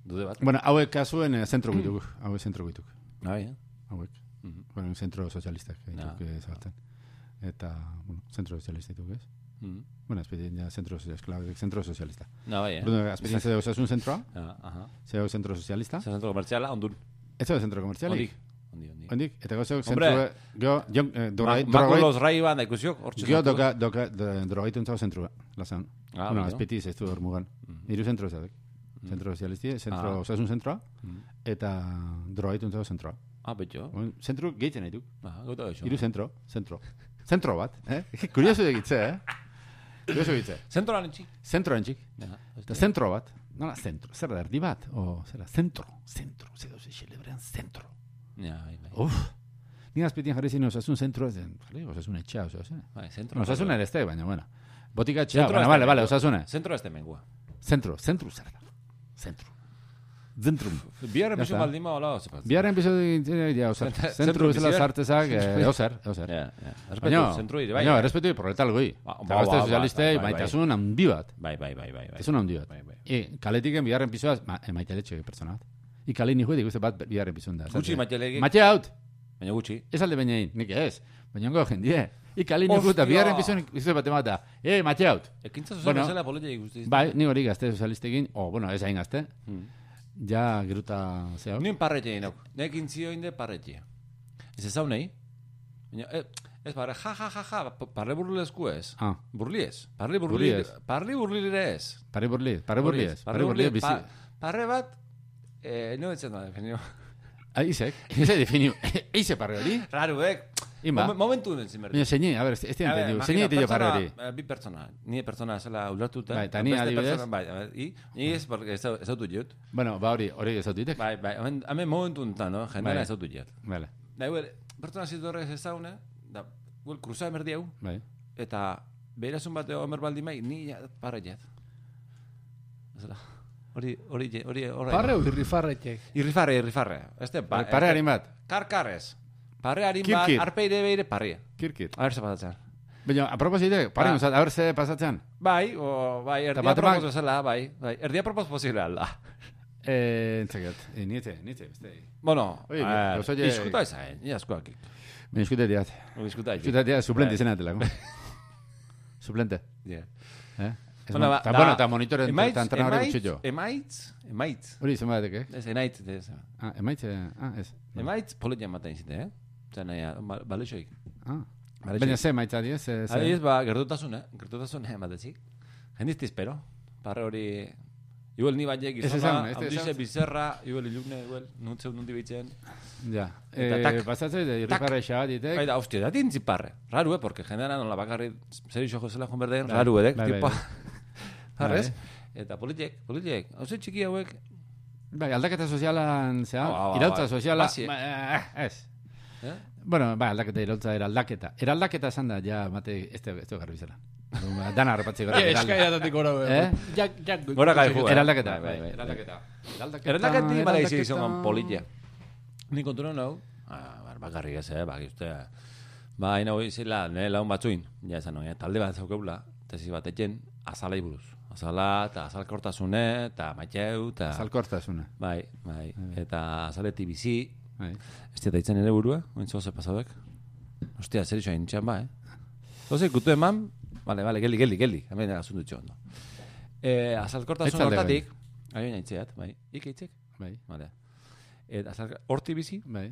Dude bat. Bueno, hauek kasuen zentro guituk. Hauek zentro guituk. Ah, ja. Hauek. Bueno, zentro sozialistak. Eta, bueno, zentro sozialista dituk, ez? Bueno, azpetien ja zentro sozialista. Zentro sozialista. No, bai, eh? Azpetien zede osasun zentroa. Aha. Zede zentro sozialista. Zede zentro komertziala, ondun. Ez da zentro komertzialik? Ondi, ondi. Ondik, eta gozio zentro... Makulos rai ban da ikusiok, hortxe. Gio doka, doka, drogaitu entzau zentroa, lazan. Bueno, azpeti zeztu hor mugan. Iru zentro zadek. Zentro sozialisti, zentro osasun zentroa, eta drogaitu entzau zentroa. Ah, betxo. Zentro gehitzen nahi duk. Ah, gota eso. Iru zentro, zentro. Zentro bat, eh? Kurioso egitze, eh? Kurioso egitze. Zentro lantxik. Zentro lantxik. Eta zentro bat. Nola, zentro. Zer da, erdi bat? O, zer da, zentro. Zentro. Zer da, celebrean zentro. Ja, bai, bai. Uf. Ni azpetien jarri zin osasun zentro, jarri osasun etxea, osasun. Bai, zentro. Osasun ere este, baina, bueno. Botika etxea, baina, bale, bale, osasune. Zentro este mengua. Zentro, zentro zer da. Zentro. Zentrum. Biarren piso baldima, hola, ozepaz. Biarren piso, ja, oser. Zentro bizela zartezak, oser, oser. Ja, ja. Respetu, zentro ire, bai. Baina, respetu proletal goi. Eta gazte sozialistei, maitasun handi bat. Bai, bai, bai, bai. Maitasun handi bat. E, kaletiken biarren pisoaz, maiteletxe persona bat. Ikale ni juedik, uste bat biarren pisun da. Gutxi maitelegik. Maite haut. Baina gutxi. Ez alde baina egin, nik ez. Baina ongo jendie. Ikale ni juetak, biarren pisun izue bat emata. E, maite haut. Ekintza sozializela politia ikusti. Bai, ni hori gazte sozialistekin, o, bueno, ez hain gazte. Ja, geruta, ze hau? Nien parretxe egin hau. Nekin zio inde parretxe. Ez ez hau nahi? Ez parre, ja, ja, ja, ja, parre burlesku ez. Ah. Burli ez. Parri burli ez. Parri burli ez. Parri burli ez. Parri burli ez. Parri burli ez, bizi. Parre bat, no etzen da definio. Ah, izek. Eze definio. Eize parre hori? Raru, ek. Ima. Momentu den zinberdi. Baina, zeini, a ber, ez tiene entendiu. Zeini ete jo parre hori. Bi persona. Ni persona zela ulertuta. Bai, eta ni adibidez. Bai, i, ni ez, porque ez autu jut. Bueno, ba hori, hori ez autu ditek. Bai, bai, hemen momentu enten, no? Jendera ez autu jut. Vale. Da, huel, pertsona zitorrez ez zaune, da, huel, kruza emerdi hau. Bai. Eta, behirasun bateo emer baldi mai, ni parre jet. Zela. Hori, hori, hori, hori. Parre o irrifarretek? Irrifarre, irrifarre. Este, parre harin bat. Karkarrez. Parre harin bat, arpeire beire parria. Kirkir. A ver se pasatzen. Baina, a proposite, parre, a ver se pasatzen. Bai, o, bai, erdia propos zela, bai. bai. Erdia propos posible alda. Eh, entzaket. Eh, niete, niete, beste. Bueno, iskuta eza, eh, ni askoak. Ben iskuta diat. Iskuta diat. Iskuta diat, suplente izan atelako. Suplente. Ja. Eh? Bueno, eta bueno, eta monitoren eta entrenadore gutxillo. Emaitz, emaitz. Hori izan batek, eh? Ez, enaitz. Ah, emaitz, ah, ez. Emaitz, politia maten izite, eh? Zena, ja, balexoik. Ah. Baina ze emaitz adiez? Adiez, ba, gertutasun, eh? Gertutasun, eh, matetzik. Jendizti espero. Parre hori... Igual ni baiek izoma, handize bizerra, igual ilune, igual, nuntzeu nundi bitzen. Ja. Pasatzei, de irriparre xabat ditek. Baina, hostia, da tintzi parre. Raru, eh, porque generan non la bakarri zer iso jozela joan berdean, raru, edek, tipo. Harrez? Eta politiek, politiek. Hauze txiki hauek. Bai, aldaketa sozialan, zea, irautza soziala. Ez. Bueno, bai, aldaketa irautza era aldaketa. Era aldaketa esan da, ja, mate, ez du garbi zela. Dana harrapatzi gara. Ja, eskaidatatik gora, eh? Jak, jak. Gora gai jugu. Eraldaketa. Eraldaketa. Eraldaketi bala izi izan politia. Ni kontu hau, bakarrik ez, eh, baki uste. Ba, hain hau izela, nire laun batzuin, ja esan hori, talde bat zaukeula, tesi bat etxen, azalai buruz. Azala, eta azalkortasune, eta maiteu, eta... Azalkortasune. Bai, bai. Eta azaleti bizi. Ez dira ditzen ere burua, ointzo ze pasadek. Ostia, zer iso hain txan ba, eh? Zoze, kutu eman, vale, vale, geldi, geldi, geldi. Hemen asuntu txon, no? Azalkortasun hortatik, aio naitzeat, bai. Ike itzek? Bai. Vale. Eta horti bizi, bai.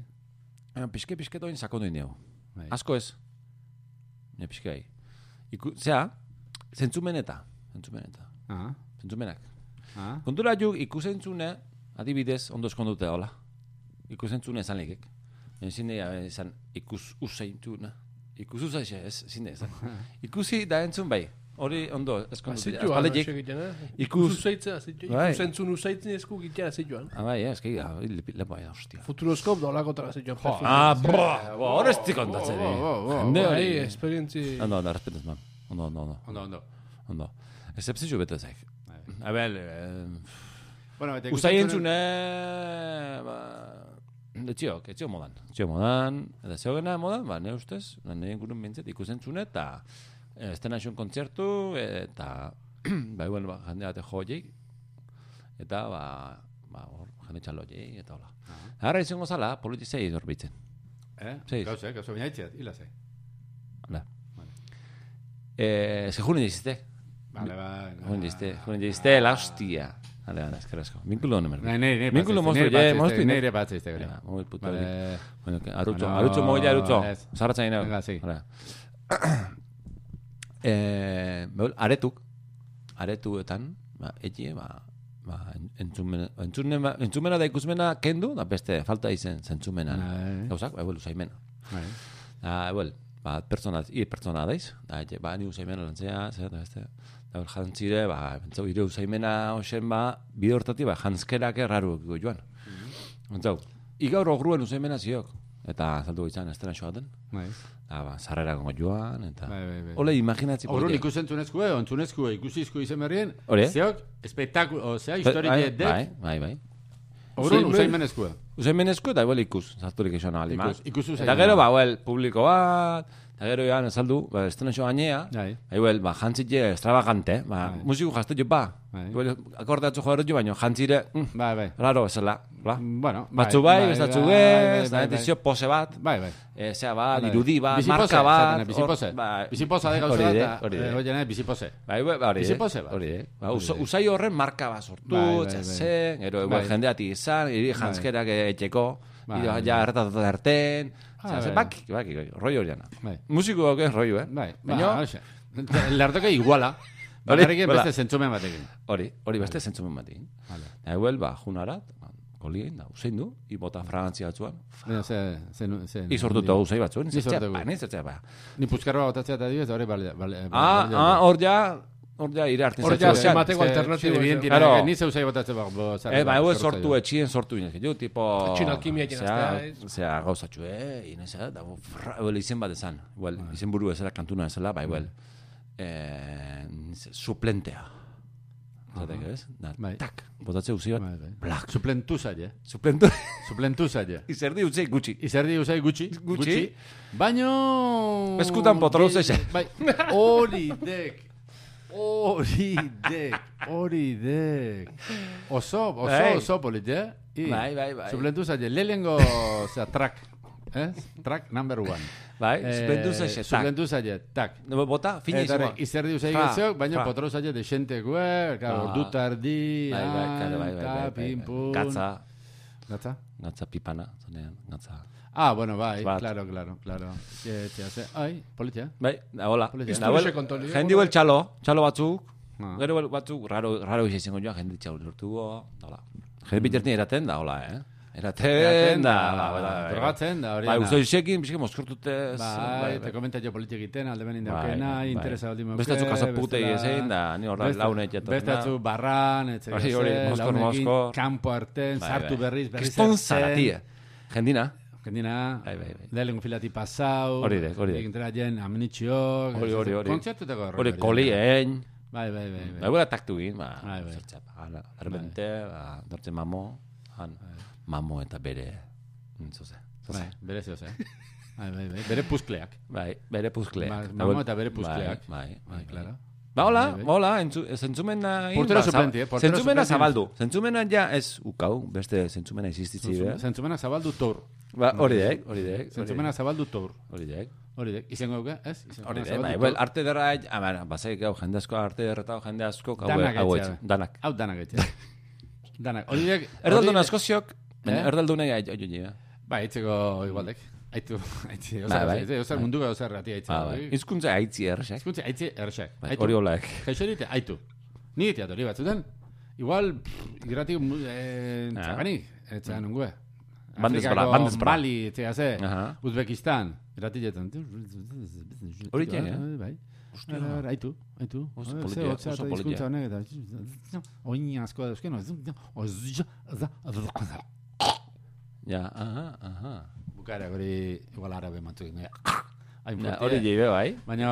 Piske, piske doin sakondu indeo. Bai. Asko ez. Ne, piske bai. Zea, zentzumeneta. Zentzumeneta. Ah. Zentzumenak. Ah. Kontura juk ikusentzune, adibidez, ondo eskondute hola. Ikusentzune esan legek. Zine, esan, ikus useintzune. Ikus usaixe, ez, zine, esan. Ikusi da entzun bai. Hori ondo eskondute. Azpalegik. Ikus usaitzea, bai. Ikusentzun usaitzen esku gitea zituan. Ah, bai, ez, que lepo aia, hostia. Futuroskop da olakotara zituan. Ah, boa, hori ez tikontatzen. Hende hori. Esperientzi. Ondo, ondo, respetuz, man. Ondo, ondo, ondo. Ondo, ondo. Ondo. Excepzio bete zaik. Abel, bueno, usai entzune, etxiok, etxiok modan. Etxiok modan, eta zeogena modan, ba, ne ustez, nire ingurun bintzet ikusentzune, eta estena xun kontzertu, eta, ba, bueno, ba, jende bate jo horiek, eta, ba, ba, hor, jende txalo horiek, eta hola. Ara izango zala, politizei dorbitzen. Eh? Gauze, gauze, baina itxeat, hila zei. Hala. Eh, se junen dizte. Vale, vale. Junen dizte, junen dizte, la hostia. Vale, vale, eskerrazko. Vinkulo no merda. Nei, nei, nei. Vinkulo mostro, je, mostro. Nei, nei, batze izte gari. Muy puto. Bueno, arutxo, arutxo moia, arutxo. Zarratza ina. Venga, sí. Eh, beul, aretuk, aretuetan, ba, etxe, ba, ba, entzumena, entzumena, entzumena da ikusmena kendu, da beste, falta izen zentzumenan. Gauzak, ba, ebuel, usaimena. Da, ebuel, ba, pertsona, i pertsona daiz, da, etxe, ba, ni usaimena lantzea, zer, da, beste, da, bel, jantzire, ba, bentzau, ire usaimena hoxen, ba, bide hortati, ba, jantzkerak erraru joan. Bentzau, igaur ogruen usaimena ziok, eta zaltu izan, estena xoaten. Da, ba, zarrera gongo joan, eta... Ole, imaginatzi... Horun ikusentzunezkue, ontzunezkue, ikusizkue izen berrien, Hore? zeok, espektakulo, zea, historike dek... Bai, bai, bai. Horun usaimenezkue. Usaimenezkue, eta igual ikus, zarturik esan ahal ikus. Ikus usaimenezkue. Eta gero, ba, well, publiko bat, eta gero, ja, nesaldu, ba, estena xo gainea, igual, ba, jantzitxe extravagante, ba, musiku jazte jo, ba, igual, akordatzu joder jo, baino, jantzire, bai, bai. Raro, esela, ba. Bueno, batzu bai, bestatzu bez, da, etizio pose bat, bai, bai. Zea bat, irudi bat, marka bat. Bizipose, bizipose de gauza bat, hori bizipose. Bai, hori, bizipose bat. Hori, usai horren marka bat sortu, txasen, ero, jendeati izan, iri jantzkerak etxeko, ja, erretatu erten, baki, baki, roi horiana. Musiko hauke roi, eh? Bai, baina, lertoke iguala. Bakarrik beste zentzumen batekin. Hori, hori beste zentzumen batekin. Eguel, ba, junarat, kolien, da, usein du, i bota fragantzia batzuan. I sortuta usai batzuen, zertzea, ba, nahi zertzea, ba. Ni puzkarroa botatzea eta dibez, hori bale... Ah, ah, hor ja, hor ja, ire hartin zertzea. Hor ja, zemateko alternatibo. Ni ze usai botatzea, ba, Eh, ba, egu sortu etxien sortu inez, jo, tipo... Txino alkimia jenaztea. Zea, gauzatxu, eh, inezea, da, eguel, izen bat ezan. Eguel, izen buru ezela, kantuna ezela, ba, eguel. Suplentea. Zatek, ez? Tak, botatze uzi bat, blak. Suplentu zaila. Suplentu. Suplentu zaila. Izerdi utzei gutxi. Izerdi utzei gutxi. Gutxi. Baino... Eskutan potro utzei. Bai, hori dek. Hori dek. Hori dek. Oso, oso, oso polit, eh? Bai, bai, bai. Suplentu zaila. Lehengo, zera, track. Eh? Track number one. Bai, suplentu zaila, tak. Suplentu zaila, tak. Bota, fina izua. Izerdi uzai gezeok, baina potro zaila desentekue, ordu tardi, pimpun. Gatza. Gatza? Gatza pipana, zonean, gatza. Ah, bueno, bai, claro, claro, claro. Ai, politia. Bai, da, hola. Jendi huel txalo, txalo batzuk, gero batzuk, raro, raro izan joan, jendi txalo lortuko, da, hola. Jendi bitertin eraten, da, hola, eh? Eraten, da, drogatzen, da, hori da. Bai, uste izekin, bizke moskortutez. Bai, te komenta jo politik egiten, alde benin daukena, interesa aldi moke. Bestatzu kasaputei ezein, da, ni horra laune etxetan. Bestatzu barran, etxegazen, launekin, kampo arten, sartu berriz, berriz arten. Kiston zara, tia. Jendina. Jendina, lehenko filati pasau. Hori dek, hori dek. Egintera jen, amenitxiok. Hori, hori, hori. Kontzertutako horre. Hori, kolien. Bai, bai, bai. Bai, gura taktu egin, ba, zertxapa. Arbente, dortzen mamo, han. Mamo eta bere... Zoze. Bai, bere zoze. Bai, bai, bai. Bere puzkleak. Bai, bere puzkleak. Mamo eta bere puzkleak. Bai, bai, claro. Ba, hola, hola, zentzumena... Portero suplenti, eh? Zentzumena zabaldu. Zentzumena ja ez ukau, beste zentzumena existitzi, eh? Zentzumena zabaldu tor. Ba, hori dek, hori dek. Zentzumena zabaldu tor. Hori dek. Hori dek. Izango duke, ez? Hori dek, bai, well, arte derra, a bazaik gau, jende asko, arte derretau, jende asko, hau etxe. Danak. Hau danak etxe. Danak. Hori dek... Erdaldun asko ziok, erdaldunei aio nire. Ba, eitzeko igualdek. Aitu, aitzi, osar munduga osar rati aitzi. Izkuntza aitzi errexak. Izkuntza aitzi errexak. Hori holaek. Gaixorite, aitu. Ni etiat hori batzutan. Igual, igratik, txagani, etxean ungue. Afrikako Mali, etxea ze, Uzbekistan. Iratietan. Hori txen, eh? Bai. Aitu, aitu. Oso politia, oso politia. Oin asko da euskeno. Ja, aha, aha. Bukara, hori igual arabe matzu. Hori jibe, bai. Baina...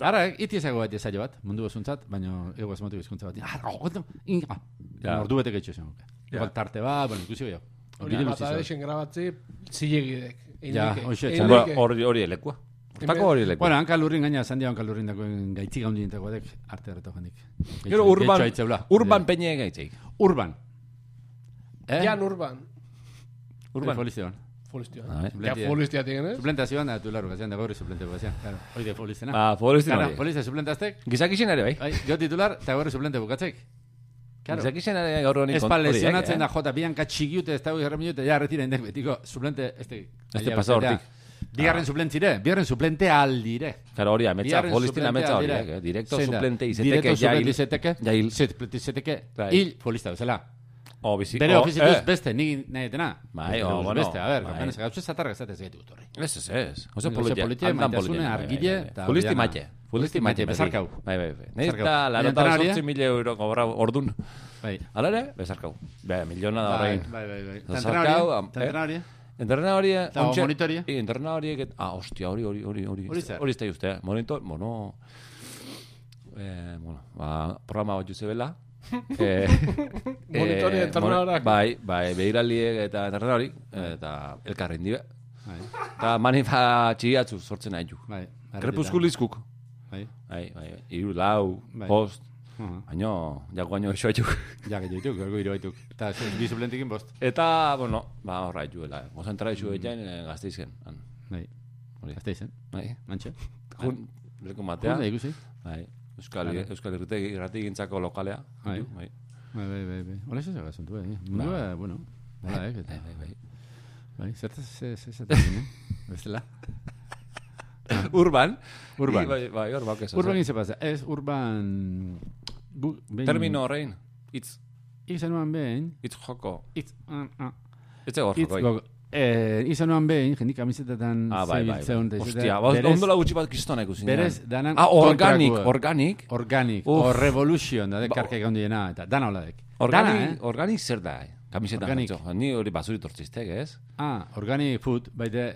Ara, iti ezago bat ezaio bat, mundu osuntzat, baina ego ez motu bizkuntza bat. Ordu betek etxo zen. Igual tarte bat, bueno, ikusi gehiago. Hori matadexen grabatzi, zilegidek. Ja, hoxe, hori elekua. Tako hori lekua. Bueno, hanka lurrin gaina, zandia hanka lurrin dagoen gaitzik handi nintakoa dek, arte erreto jandik. Gero urban, urban peñe gaitzik. Urban. Jan urban. Urban. Folizioan. Folizioan. Ja, foliztia tigen, eh? Suplentazioan, da, tu largo, gazean da gauri suplente bukazean. Claro, hori de folizena. Ah, folizena hori. Folizia suplentaztek. Gizakixen ere, bai. Jo titular, eta gauri suplente bukatzek. Gizakixen ere gaur honi. Espa lesionatzen da jota, bianka txigiute, ez dago garra minute, ja, retira indek, betiko, suplente, este... Este pasa hortik. Bigarren suplentire, bigarren suplente aldire. Claro, hori, ametsa, folistina ametsa hori, eh? Directo suplente izeteke, jail. Directo suplente jail. Suplente izeteke, hil, folista bezala. O, bizi. Bere ofizituz beste, nik nahi etena. Bai, o, bueno. Beste, a ver, gapenez, gauzez zatarra gazatez gaitu dut horri. Ez, ez, ez. Oso politia, maitasune, argile. Folisti maite. Folisti maite, bezarkau. Bai, bai, bai. Neita, larota sortzi mila euro cobra ordun. Bai. Ala ere, bezarkau. Bai, miliona da horrein. Bai, bai, bai. Tantrenari. Entrenadori, ontxe... Monitori. Entrenadori, ah, hostia, hori, hori, hori, hori. Hori zer. Hori ez da juste, eh? Monitor, bueno... Eh, bueno, ba, programa bat juzebela. eh, Monitori, entrenadorak. Bai, bai, behiraliek eta entrenadori, eta elkarren dibe. Bai. Eta manifa txigiatzu sortzen nahi ju. Bai. Krepuskulizkuk. Bai. Bai, bai, iru, lau, post. Baina, jako baino eixo haituk. Jak haituk, ergo iro haituk. Eta bi suplentikin bost. Eta, bueno, ba, horra haituela. Gozentra eixo egin gazteizken. Bai, gazteizen. Bai. Mantxe. Jun, leko matea. Jun, ikusi. Bai, Euskal Irrati gintzako lokalea. Bai, bai, bai, bai, bai. Hola, eso se haga asunto, eh. Mundua, bueno, bai, bai, bai. Bai, zertaz, zertaz, bestela. Urban. Urban. Bai, bai, urban, que Urban se pasa. Es urban... Termino horrein. Itz. Izanuan behin. Itz joko. Itz. Itz egor joko. Eh, izanuan behin, jendik kamizetetan zebiltzeun. Hostia, ondola gutxi bat kristona ikusi. Berez, danan... Ah, organik, organik. Organik. O revolution, da dekarka egon diena. Eta dana hola dek. Organik, organik zer da, eh? Kamisetan jartzo. Ni hori basuri tortziztek, ez? Ah, organic food, baite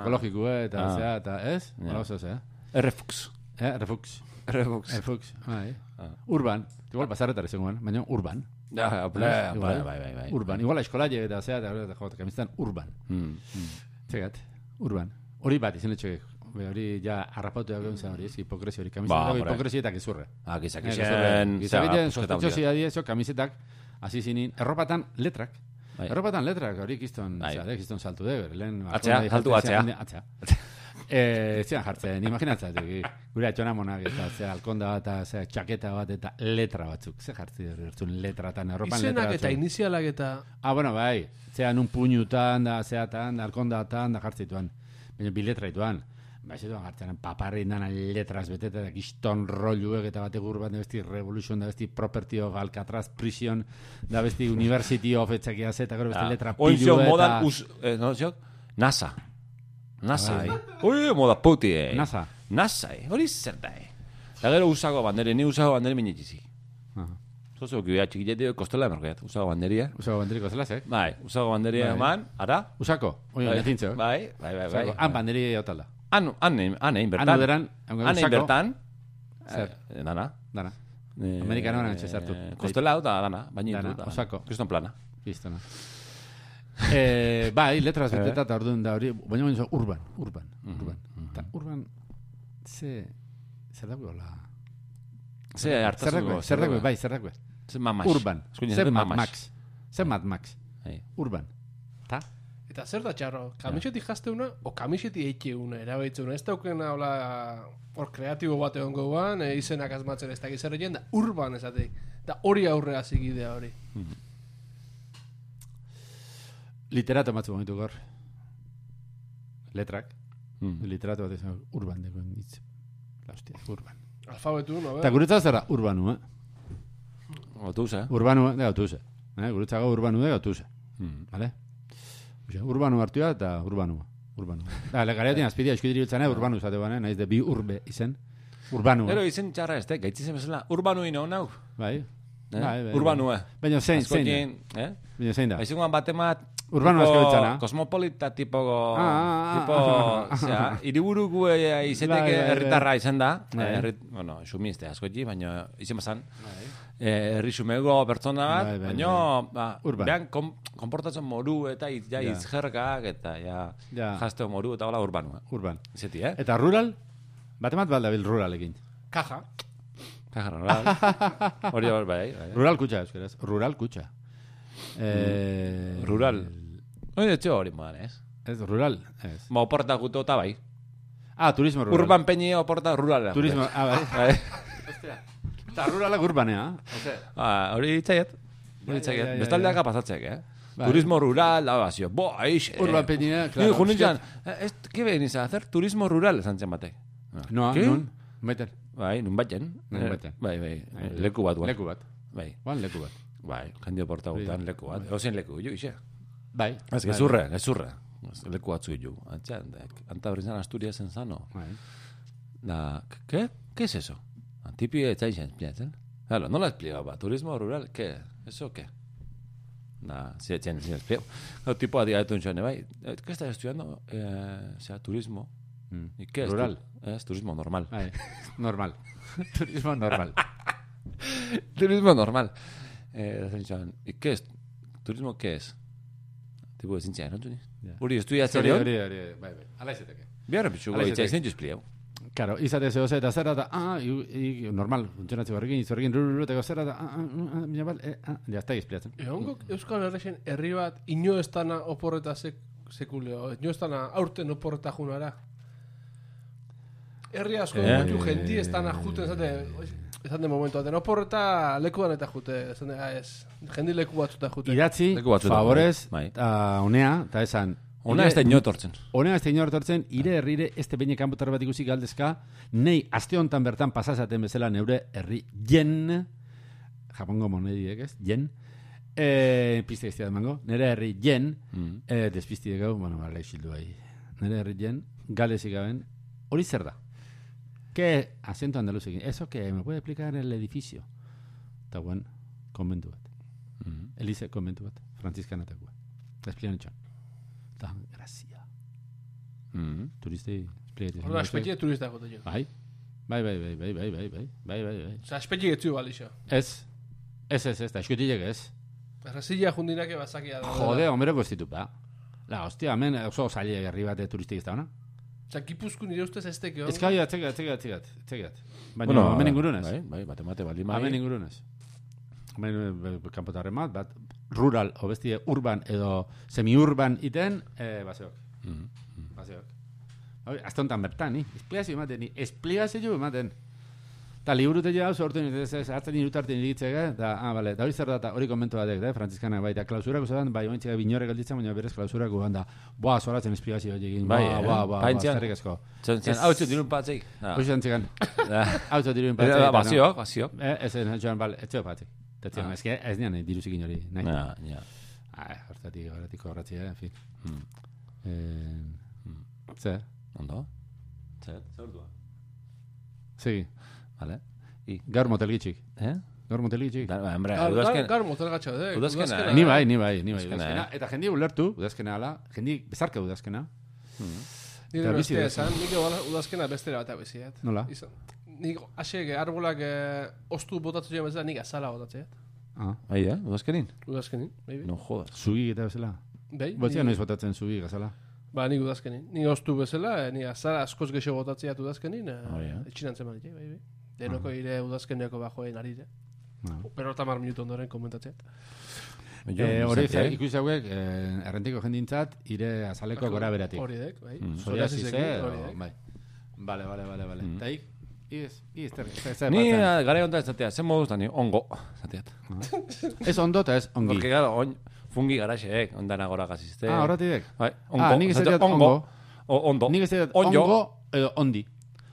ekologiko eta zea, eta ez? Hola oso zea. Refux. Eh, refux. Refux. Refux, bai. Urban. Igual pasarretar izangoan, baina urban. Ja, bai, bai, bai. Urban. Igual eskolaile eta zea, eta jota, kamisetan urban. Txegat, urban. Hori bat izan etxek. Hori ja harrapatu da gauza hori, ez hipokresi hori. Kamisetak hipokresietak izurre. Ah, gizak izan. Gizabiten, sospechosi adiezo, kamisetak, hasi zinin, erropatan letrak. Erropatan letrak, hori kiston, kiston saltu de, lehen... Atzea, saltu atzea. Atzea. Zeran jartzen, imaginatzen, gure atxona monak, eta zera alkonda bat, zera txaketa bat, eta letra batzuk. Ze jartzen, letratan, erropan letra batzuk. Izenak eta inizialak eta... Ah, bueno, bai. Zeran un puñutan, da, zeatan, da, alkondatan, da jartzituan. Baina bi letra ituan. Baizetuan jartzen, paparrin dana letras beteta, da kiston rolluek eta bate gurbat, da besti Revolution, da besti Property of Alcatraz Prison, da besti University of etxakia zeta, gero besti letra pilu eta... Oizio modan, us, eh, no, ziok? NASA. NASA, eh? Oi, moda puti, eh? NASA. NASA, eh? Hori zer da, eh? Da gero usago bandere, ni usago bandere minetizi. Zozo, ki beha txikilete, kostela emerkoiat, usago banderia. Usago banderi kostela, zek? Bai, usago banderia eman, ara? Usako, oi, netintzo. Bai, bai, bai, bai. Han banderi otala. Han, han, han, egin bertan. Han uderan, han egin bertan. Zer? Dana. Dana. Amerikano gana etxezartu. Kostela hau da, dana, baina dana, osako. Kriston plana. Kristona. Eh, bai, letras beteta eta orduan da hori, baina baina urban, urban, urban. Eta urban, ze, zer dago la... Ze hartazuko. Zer dago, bai, zer dago. Ze mamax. Urban. Ze Mad Max. Ze Mad Max. Urban. Ta? Eta zer da txarro, kamiseti jazteuna, o kamiseti eitxeuna, erabaitzuna, ez daukena hola, hor kreatibo bat egon goguan, e, izenak azmatzen ez dakiz erreien, da urban esateik, da hori aurrea zigidea hori. Literato matzu momentu gaur. Letrak. Literato bat ezan urban dekoen hitz. La hostia, urban. Alfabetu, no? Eta guretzat zer da, urbanu, eh? Autobusa. Urbanu, de autobusa. Guretzago urbanu de autobusa. Vale? Urbanu hartua eta urbanu. Urbanu. Da, legariatin azpidea eskudiri biltzana, urbanu zate bane, naiz de bi urbe izen. Urbanu. Ero izen txarra ez, gaitzizen bezala. Urbanu ino, nau? Bai. Urbanu, eh? Baina zein, zein da. Baina zein da. Aizuan batemat... Urbanu azko biltzana. Kosmopolita tipo... Tipo... Zea, iriburuku izeteke herritarra izan da. Bueno, xumizte asko egi, baina izen bazan. errisumego pertsona bat, baina behan konportatzen moru eta izjerkak eta jazteo moru eta hola urbanua. Urban. Zeti, eh? Eta rural? Batemat baldabil ruralekin. Kaja. Kaja rural. Hori hor bai. Rural kutxa, euskeraz. Rural kutxa. Rural. Hori etxe hori modan, ez? Ez, rural. Ma oporta guto eta bai. Ah, turismo rural. Urban peñi oporta rural. Turismo, ah, bai. Ostia. Eta ruralak urbanea. Ah, hori itzaiet. Hori itzaiet. Bestaldeaka pasatzeak, eh? Turismo rural, la basio. Bo, aixe. Urban peñi, claro. Ni junintzan, ¿qué venís a hacer? Turismo rural, zantzen batek. No, nun. Baiten. Bai, nun baiten. Nun baiten. Bai, bai. Leku bat, guan. Leku bat. Bai. Guan leku bat. Bai, jendio porta gutan leku bat. Ozen leku, jo, ixe. Bai. Ez, gezurre, gezurre. Leku batzu jo. Antxan, anta brizan Asturias en zano. Bai. Da, ¿qué? ¿Qué es eso? Antipi etzaixen, piatzen. Claro, no lo explicaba. Turismo rural, ¿qué? ¿Eso qué? Da, si etxen, si explico. El tipo a día de tunxone, bai. ¿Qué estás estudiando? Eh, o sea, turismo. Mm. ¿Y qué es? Rural. Es turismo normal. Ay, normal. Turismo normal. Turismo normal. Eh, ¿Y qué es? ¿Turismo qué es? Tipo de ciencia, ¿no? Uri, estudiatzen Hori, hori? hori, hori, bai, bai. Ala izeteke. Biarra pitxuko itxaizen juzpliau. Claro, izate zeo eta zera da, ah, y normal, funtzionatze horrekin, izorrekin, rururuteko zera da, ah, ah, ah, bal, eh, ah, ya está explicatzen. Egongo Euskal Herrixen herri bat ino estana oporreta sekuleo, ino estana aurten oporreta junara. Herri asko Eh? mutu jenti estana juten, esate, esate momentu baten, oporreta lekuan eta jute, esate, ez, jendi leku batzuta jute. Idatzi, Leku batzuetan, favorez, bai. eta unea, eta esan, Ona ez da inotortzen. Honea ez da inotortzen, ire herrire este beine kanpotar bat ikusi galdezka, nei aste hontan bertan pasazaten bezala neure herri jen, japongo monediek ez, jen, eh, piste iztia demango, nire herri jen, Mm. eh, despizti gau, bueno, bale, xildu bai, nire herri jen, galezik gaben, hori zer da? Que acento andaluzekin, eso que me puede explicar el edificio? Eta guen, konbentu bat. Mm. Elize konbentu bat, frantziskanatakoa. Eta esplian etxan. Eta, grazia. Mm. Turistei, espliatzen. Horda, espetxe turista gote jo. Bai. Bai, bai, bai, bai, bai, bai, bai, bai, bai, bai. Osa, espetxe getzu balixo. Ez, ez, ez, ez, da, eskutilek ez. Errazilla jundinake bazakia da. Jode, homero goztitu, ba. La, hostia, hemen oso zaile herri bat turistik ez da, ona? Osa, Gipuzko nire ustez ez teke hon. Ez kai, atzegat, atzegat, atzegat, atzegat. Baina, Bueno, hemen ingurunez. Bai, bai, bate mate baldin bai. Hemen ingurunez. Hemen kanpotarren bat, bat, rural, o bestie urban edo semi-urban iten, eh, baseok. Mm. Baseok. Hoi, azte honetan bertan, ni. Esplikazio ematen, ni. Esplikazio ematen. Eta liburute ja, sortu nintzen, hartzen irutarten iritzek, eta, ah, bale, da hori zer da, hori konbentu batek, da, frantzizkanak bai, eta klausurako zedan, bai, ointzika binore galditzen, baina berez klausurako ganda, boa, zoratzen esplikazio egin, Bai, boa, eh? boa, boa, boa, Paintzian. zerrik asko. Zentzen, hau txut dirun patzeik. Hoi zantzikan, hau txut diruen Eta patzik. Baziok, baziok. Eh, ez, ez, joan, bale, ez zeo patzik. Tetzion, ez, ez nian diruzikin hori, nahi. Ja, ja. Ah, hortatik, hortatik horratzia, en fin. Mm. Eh, zer? Ondo? Zer, zer ordua? Segi. Vale. I. Gaur motel gitxik. Eh? Gaur motel gitxik. Da, hombre, Gar, gar, udazken... gar motel gatxa, eh? Udazkena, Ni bai, ni bai, ni bai. Udazkena, Udazkena. Eta jendi ulertu, udazkena ala, jendi bezarka udazkena. Nire Eta bizi beste da. esan, nik udazkena bestera bat abeziet. Nola? Nik asek arbolak eh, ostu botatzen joan bezala, nik azala botatzeet. Ah, Bai, eh? Udazkenin? Udazkenin, bai, bai. No jodas. zugi eta bezala. Bai, Botzia ni- noiz botatzen zugi gazala. Ba, nik udazkenin. Ni ostu bezala, eh, ni azala askoz gexo botatzeat udazkenin, eh, Oh, ja. etxinan zeman bai, bai. Denoko ire udazkeneko bajoen arire. Ah. Pero tamar minutu ondoren komentatzeat. Eh, hori ze, ikusi hauek, eh, errentiko jendintzat, ire azaleko gora beratik. Hori dek, bai. Mm. Psoriasize, hori o- dek. bai. Vale, vale, vale, vale. Mm. Eta ik, iz, iz, zer, zer, zer, Ni batzen. eh, gara onta ezatea, zen moduz da ni ongo, ezateat. Ez ondo eta ez ongi. Porque, claro, on, fungi garaxeek, ondan agora gazizte. Ah, horretik. Bai, ongo. Ah, nik ez esatea, dut ongo. O, ondo. Nik ez dut Onjo. ongo edo ondi.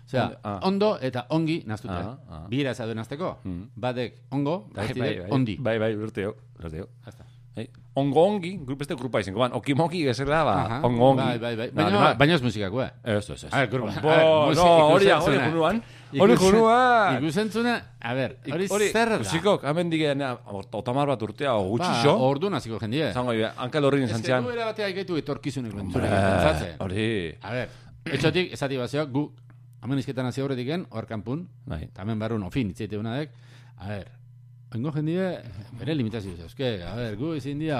Osea, Ondo, ah. ondo eta ongi naztuta. Ah, ah. Bira ez aduen azteko. Mm. Badek ongo, Bai, beste bai, dek bai. ondi. Bai, bai, urteo, urteo. Hasta. Bai. Ongo ongi, grup beste grupa izango, ban, okimoki gezela, ba, Aha. ongo ongi. Bai, bai, bai. Ba, Baina, ba- baina ez musikako, eh? Ez, ez, ez. A ver, grupa. Bo, A ver, no, musik- hori, hori ikusentzuna. junuan. Hori junuan. Ikusentzuna, a ver, hori zer da? Musikok, hemen digeen, otamar bat urtea, o Ba, gutxixo. ordu naziko jendie. Zango, Ankel horrin Ez que zantzian. gu era batea ikaitu etorkizunik bentzure. Ba, Hori. A ver, etxotik, esati bazio, gu, hemen izketan hasi horretik gen, hor kanpun, Bai. eta hemen barrun, ofin, itzaite unadek, a ver, Oingo jendie, bere limitazio zeuzke. A ber, gu ezin dia,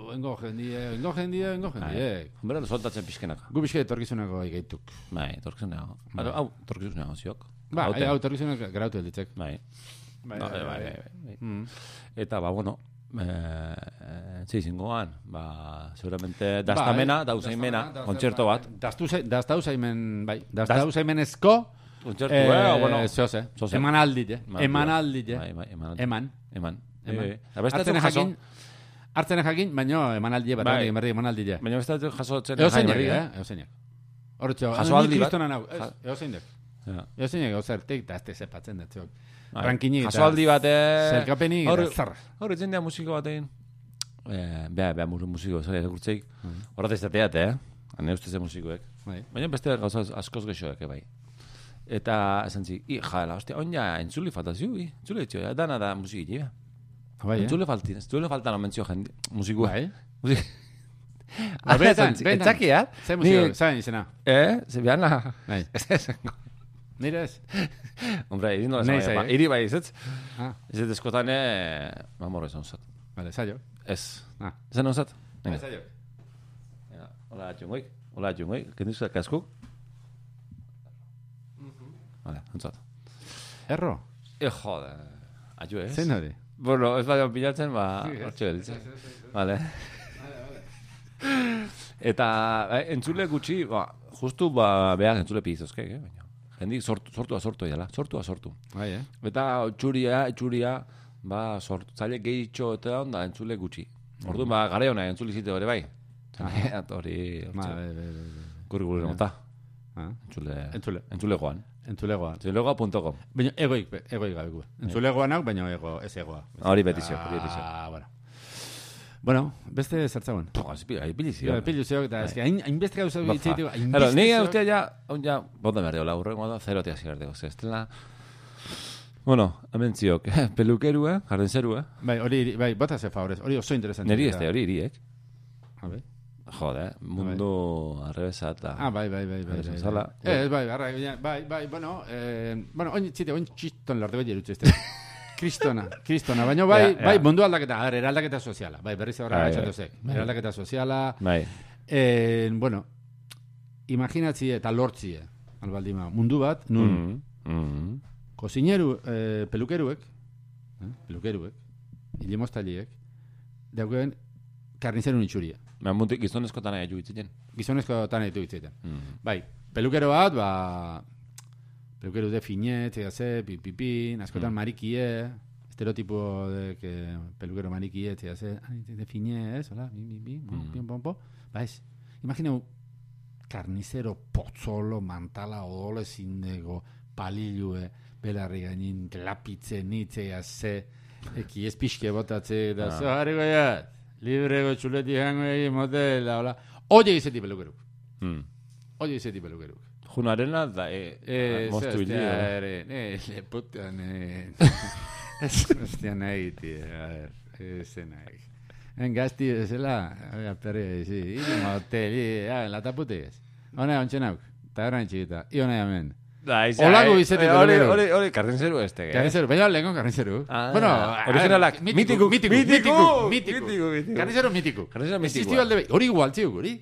oingo jendie, oingo jendie, oingo jendie. Bera, soltatzen pixkenak. Gu pixke etorkizunako egeituk. Bai, etorkizunago. Hau, etorkizunago ziok. Ba, hau, etorkizunako grautu elditzek. Bai. Bai, bai, bai. Eta, ba, bueno, txeizingoan, ba, seguramente daztamena, dauzaimena, kontzerto bat. Daztauzaimen, bai, daztauzaimenezko, kontzertu, eh, bueno. Zoze, eman aldit, eman aldit, eman. Eman. Hartzen jakin, hartzen jakin, baina eman aldit, bat, eman aldit. Baina bestatzen jasotzen Eozeinek, eh, eozeinek. Horretxo, jasoaldi bat. Eozeinek. Eozeinek, eozertik, eta ez tezepatzen dut, rankinik eta jasoaldi bat, zelkapenik eta zarra. Horretzen dira musiko batein. Beha, beha, musiko, zari, erakurtzeik. Horret ez dateat, eh? Hane ustez musikoek. Baina beste gauza askoz gexoek, bai. Eta, esan zik, i, jala, ostia, on ja, entzuli faltazio, i, entzuli etxio, dana da musiki, ja. Entzuli faltin, entzuli faltan omentzio jendi, musikua. Bai? Musik. Betan, betan. Etxakiat. Zer musiko, zain izena. Eh, zebiana. Bai. Ez esango. Nire ez? Hombre, iri nola zaba, iri bai izetz. Ez ez eskotane, mamorro esan usat. Vale, zailo. Ez. Esan usat? Vale, zailo. Hola, txungoik. Hola, txungoik. Kendizu da kaskuk? Vale, entzat. Erro? E, jode. Aio ez? Zein hori? Bueno, ez baina pilatzen, ba, hortxe gelitzen. Vale. Eta, entzule gutxi, ba, justu, ba, behar entzule pizozke, eh, baina. Jendik sortu, sortua sortu edala, sortua sortu. Bai, eh? Eta txuria, txuria, ba, sortu, zaile gehitxo eta onda entzule gutxi. Orduan, ba, gare hona entzule zite hori bai. Hori, hortxe. Gurri gurri nota. Entzule, entzule. Entzulegoan. Entzulegoan. Entzulegoa punto com. Baina egoik, egoik gabeku. Entzulegoan hau, baina ego, ez egoa. Hori betizio, hori betizio. Ah, bueno. Bueno, beste zertzagoen. Ahí pilizio. Pilizio, eta ez que hainbeste gauza bitzeiteko. Claro, ni ustea ja, ja, bonda berdeo, la urrengo da, zero tia zigardeko. Estela, bueno, hemen ziok, pelukerua, jardenserua. Bai, hori, bai, bota ze favorez, hori oso interesante. Neri este, hori iriek. A ver. Jode, mundu arrebesa eta... Ah, bai, bai, bai, bai. Ez, bai, bai, bai, bueno, bueno, oin txite, oin txiston lortu bai erutxe este. Kristona, kristona, baina bai, bai, mundu aldaketa, a ver, eraldaketa soziala, bai, berriz horra gatxatozek, eraldaketa soziala, bai, bueno, imaginatzi eta lortzi, albaldima, mundu bat, nun, kozineru, pelukeruek, pelukeruek, ilimostaliek, daukeen karnizerun itxuria. Muntik gizonezko tana edu itziten. Gizonezko tana edu itziten. Bai, pelukero bat, ba, pelukero de finet, ze, pipipin, askotan marikie, estereotipo de que pelukero marikie, ze, de finet, hola, bi, bi, bi, pom, pom, ba ez, imagineu, karnizero potzolo, mantala, odole zindego, palilue, belarri gainin, lapitze, nitze, ze, eki ez pixke botatze, da, zo, harri goiat, librego txuleti jango egin motela, hola. Oye izeti pelukeruk. Oye izeti pelukeruk. Junarena da, e, moztu hili. Ne, leputean, ez guztian nahi, tio, a ver, ez nahi. En gazti bezala, a perri, zi, hili moteli, en la taputi ez. Hone, ontsen hauk, eta horan txikita, i hone amen. Olako izeti pelukeru. Hori, hori, karrinzeru este. Karrinzeru, baina lehenko karrinzeru. Bueno, originalak, mitiku, mitiku, mitiku, karrinzeru mitiku. Karrinzeru mitiku. Existiu alde bai, hori igual txiuk, hori?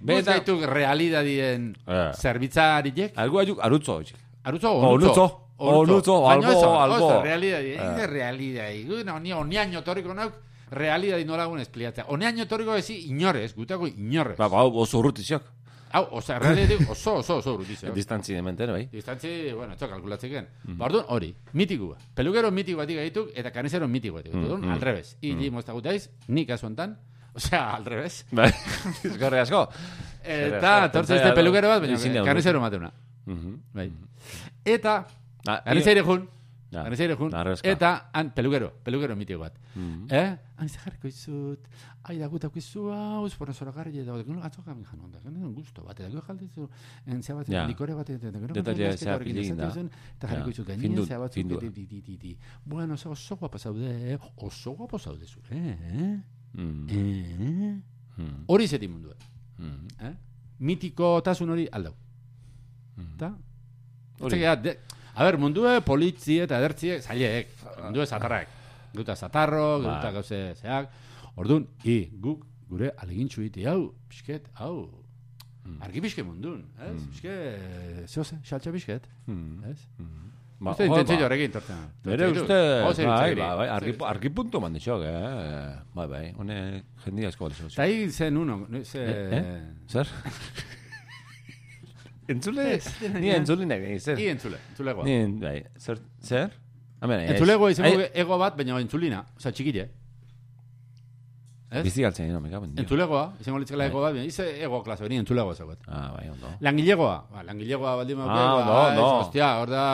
Bez gaitu realidadien zerbitzariek? Algo ayuk, arutzo, hori. Arutzo, onutzo. Onutzo, albo, albo. Oso, realidadien, ez realidadien. Oneaino torriko nauk, realidadien nolagun espliatzea. Oneaino torriko ezi inorez, gutako inorez. Ba, ba, oso urrutiziak. Hau, oza, realidade oso, oso, oso urutizio. Distantzi de mente, bai? Distantzi, bueno, etxo kalkulatzeken. Ba, orduan, hori, mitikua. Pelukero mitiko batik gaituk, eta kanizero mitiko batik gaituk. Orduan, al revés. Ili mozta gutaiz, nik azuentan, osea, al revés. Bai, izkorri asko. Eta, tortza izte pelukero bat, baina kanizero mateuna. Bai. Eta, kanizero jun, kanizero jun, eta, han, pelukero, pelukero mitiko bat. Eh? Han, izte jarriko izut, ai da gutako izu hau, espora zora garri, eta gero gatzok gamin janon da, gero gusto bat, eta gero jaldizu, entzea bat, likore bat, eta gero detalle zea pilin da. Eta jarriko izut gainin, zea bat, bueno, oso guapo zaude, oso guapo zaude zure, eh? Hori zeti mundu, eh? Mitiko tasun hori aldau. Eta? A ber, mundue politzi eta edertziek, zaileek, mundue zatarrak. Geuta zatarro, geuta gauze zeak. Orduan, i, guk, gure alegintxu iti, hau, pixket, hau, argi pixke mundun, ez? Pixke, zehoze, xaltxa pixket, ez? Uste intentzio horrekin tortzen. Bere uste, bai, bai, argi puntu mandixok, eh? Bai, bai, hone jendia esko balizio. Ta hi zen uno, ze... Zer? Entzule? Ni entzule nahi, zer? Ni entzule, entzulegoa. Ni, bai, zer? Zer? Entzulegoa izango ego bat, baina entzulina, oza, txikile. Bizi galtzen, no, me caben. Entzulegoa, izango litzela ego bat, ize ego klase, beni entzulegoa zagoet. Ah, bai, ondo. Langilegoa, ba, langilegoa baldin mauke, ah, ondo, ondo. Hostia, hor da,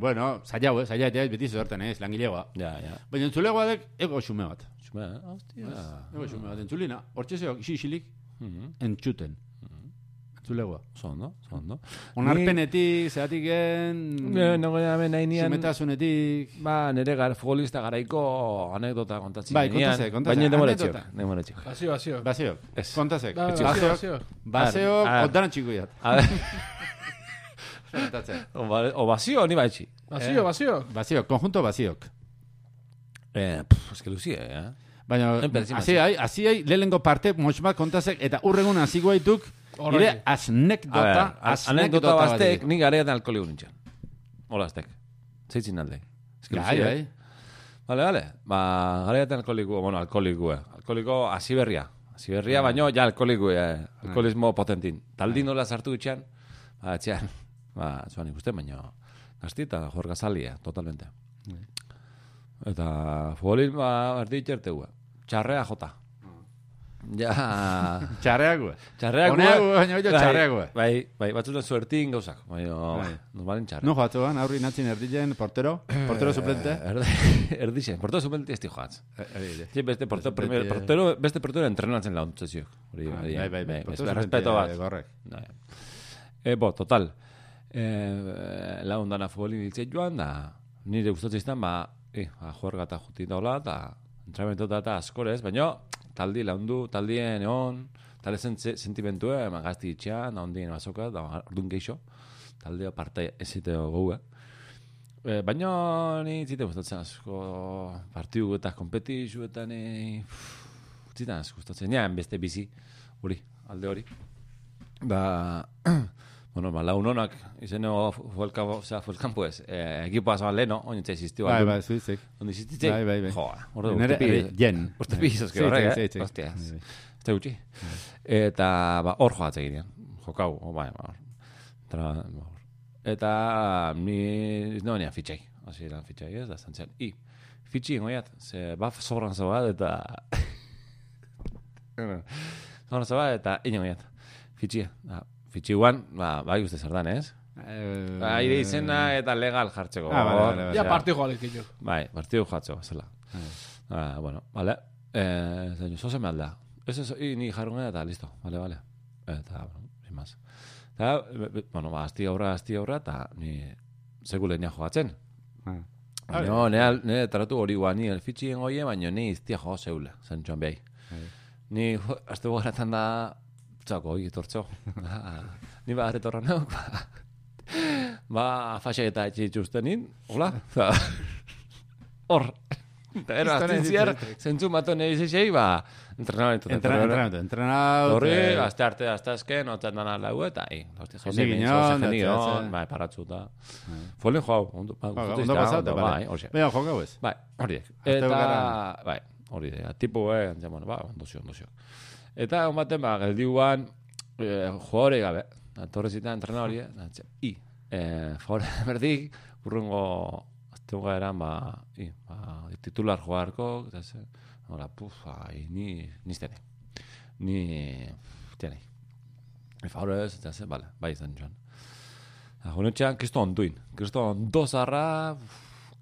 bueno, zailau, eh, zailau, ez, beti zerten, ez, langilegoa. Ja, ja. Baina entzulegoa dek, ego xume bat. Xume, hostia. Ego xume bat, entzulina, hor txeseok, isi isilik, entxuten. Zulegoa. Zondo, zondo. Onarpenetik, zeatik gen... No gara hemen nahi nian... Sumetasunetik... Ba, nire gar, futbolista garaiko anekdota kontatzen. Bai, kontazek, kontazek. Baina demoretxik. Demoretxik. Basio, basio. Basio. Kontazek. Basio, basio. Basio, oddaran txiko jat. A ver... O basio, ni baitxi. Basio, basio. Basio, konjunto basiok. Eh, pff, eske luzie, eh? Baina, hasi hai, hasi hai, lehenengo parte, moxbat kontazek, eta urregun hasi guaituk, ire asnekdota, asnekdota bastek, ni gareatan alkoholigu nintzen. Hola, aztek. Zeitzin alde. Gai, gai. Vale, vale. Ba, gareatan alkoholigu, bueno, alkoholigu, eh. Alkoholigo asiberria. Asiberria, baino, ja alkoholigu, eh. Alkoholismo potentin. Taldin nola sartu ditxan, ba, etxean, ba, zuan ikusten, baino, gazti eta jorgazalia, totalmente. Eta futbolismo, erdi itxertegu, txarrea jota. Ja... Txarreago. Txarreago. Baina oio txarreago. Bai, bai, batzutan suertin gauzak. Baina, normalen txarreago. No joatuan, aurri natzin erdilen, portero, portero suplente. Erdixen, portero suplente ez di joatz. Sí, beste portero, beste portero entrenatzen launtzezio. Bai, bai, bai. Respeto bat. Gorrek. Bo, total. Laundana futbolin ditzeit joan, da nire gustatzen izan, ba, juerga eta juti daula, eta entrenamentuta eta askorez, baina taldi laundu, taldien egon, talde sentimentue, gazti itxean, ondien bazoka, da orduan geixo, taldea parte eziteo gogue. E, baina ni zite gustatzen asko, partiu eta kompetizio eta ni... Zitan asko gustatzen, nian beste bizi, hori, alde hori. Da... Bueno, ba, laun honak, izeno fuelkampo ez, ekipoa zaban leheno, oin etxe existio. Bai, bai, zuizik. Ondi existitze? Bai, bai, bai. Joa, ordu, jen. Urte pizazke horrek, eh? Hostia, ez da gutxi. Eta, ba, hor joatze ginean. Jokau, bai, ba, eta, ni, no, nian fitxai. Asi eran fitxai ez, da zantzian. I, fitxi ingoiat, ze, ba, sobran zabat, eta... sobran zabat, eta ingoiat. Fitxia, da. Fitxiguan, ba, bai uste zer dan, ez? Ba, ire izena eta legal jartzeko. Ah, vale, vale, vale. Ja, partio joalik jo. Bai, partio joatzeko, zela. Ah, bueno, vale. Eh, zaino, zoze me alda. Eso, y ni jarrungena eta listo, vale, vale. Eta, bueno, sin más. Eta, bueno, ba, asti aurra, asti aurra, eta ni segule nia joatzen. No, nire taratu hori guan, ni el fitxien goie, baina ni iztia jo zeule, zentxoan behai. Ni, azte gogaratzen da, txako, hori etortzo. Ni ba, arretorra nauk, ba, ba, faxak eta etxitxustenin, hola, hor, eta ero, azten ziar, zentzu mato nahi zizei, ba, entrenamentu. Entrenamentu, entrenamentu. Horri, azte arte, azte azken, otzen dana lau, eta, hi, jende gineon, bai, paratzu, eta, folien joau, ondo pasatu, bai, beha, jokau ez. Bai, horiek, eta, bai, hori, tipu, eh, ba, ondozio, ondozio. Eta, hon baten, ba, geldiuan, eh, jugadore gabe, torrezita entrena hori, eh, i, eh, favore berdik, urrungo, azteunga eran, ba, i, ba, titular jugarko, eta ze, hola, puf, ai, ni, niztene, ni, tiene, e favore ez, eta ze, bale, bai izan joan. Honetxean, kriston onduin, kriston dozarra,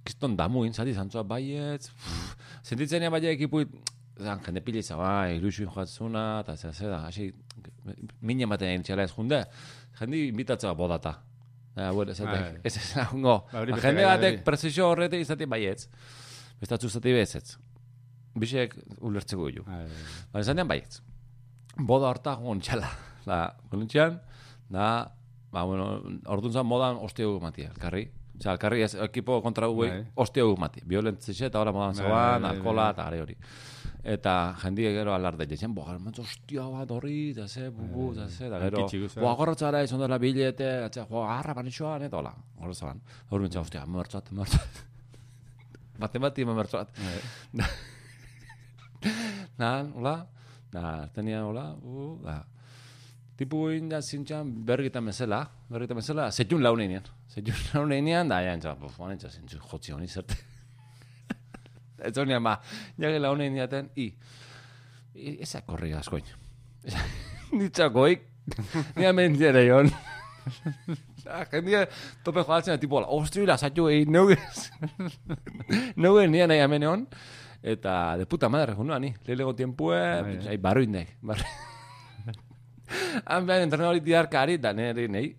kriston damuin, zati zantzua baietz, sentitzen bai ekipuit, zan, jende pili zaba, ilusioin joatzuna, eta zera, zera, hasi, minen baten egin txela ez junde, jende invitatzea bodata. Ja, bueno, esatek, ez ez lagungo. Jende batek prezisio horrete izatik baietz, bestatzu zati behetzetz. Bisek ulertzeko guiu. Baina zanean baietz. Boda horta joan txala. Da, konentxean, da, ba, bueno, orduan zan modan ostio matia, elkarri. Osea, alkarri ez, ekipo kontra guei, ostia gu mati. Violentzixe eta hola modan zoan, alkola eta gare hori. Eta jendiek gero alarde jetzen, boa, hermantzo, ostia bat horri, eta ze, bubu, eta ze, eta gero, boa, gorrotzara, izan dela bilete, eta boa, garra banitxoan, eta hola, gorrotzaban. Hor bintzen, ostia, mertzat, mertzat. Bate-bati, mertzat. Nan, hola, da, tenia, hola, uh, da. Tipu inda zintxan bergita mesela, bergita mesela, zetxun launean. Zetxun launean, da, jantza, buf, manentza, zintxu, jotzi honi zerte. Ez honean, ba, jage launean diaten, i, ezak korri askoin. Nitzakoik, nia mentziere joan. Jendia tope joatzen, tipo, ostri, lasatxu egin, neugez. Neugez nian nahi amene hon. Eta, de puta madre, junua, ni. Leilego tiempue, barruindek, barruindek. Han behan entrenadori tidarkari, da neri, nahi,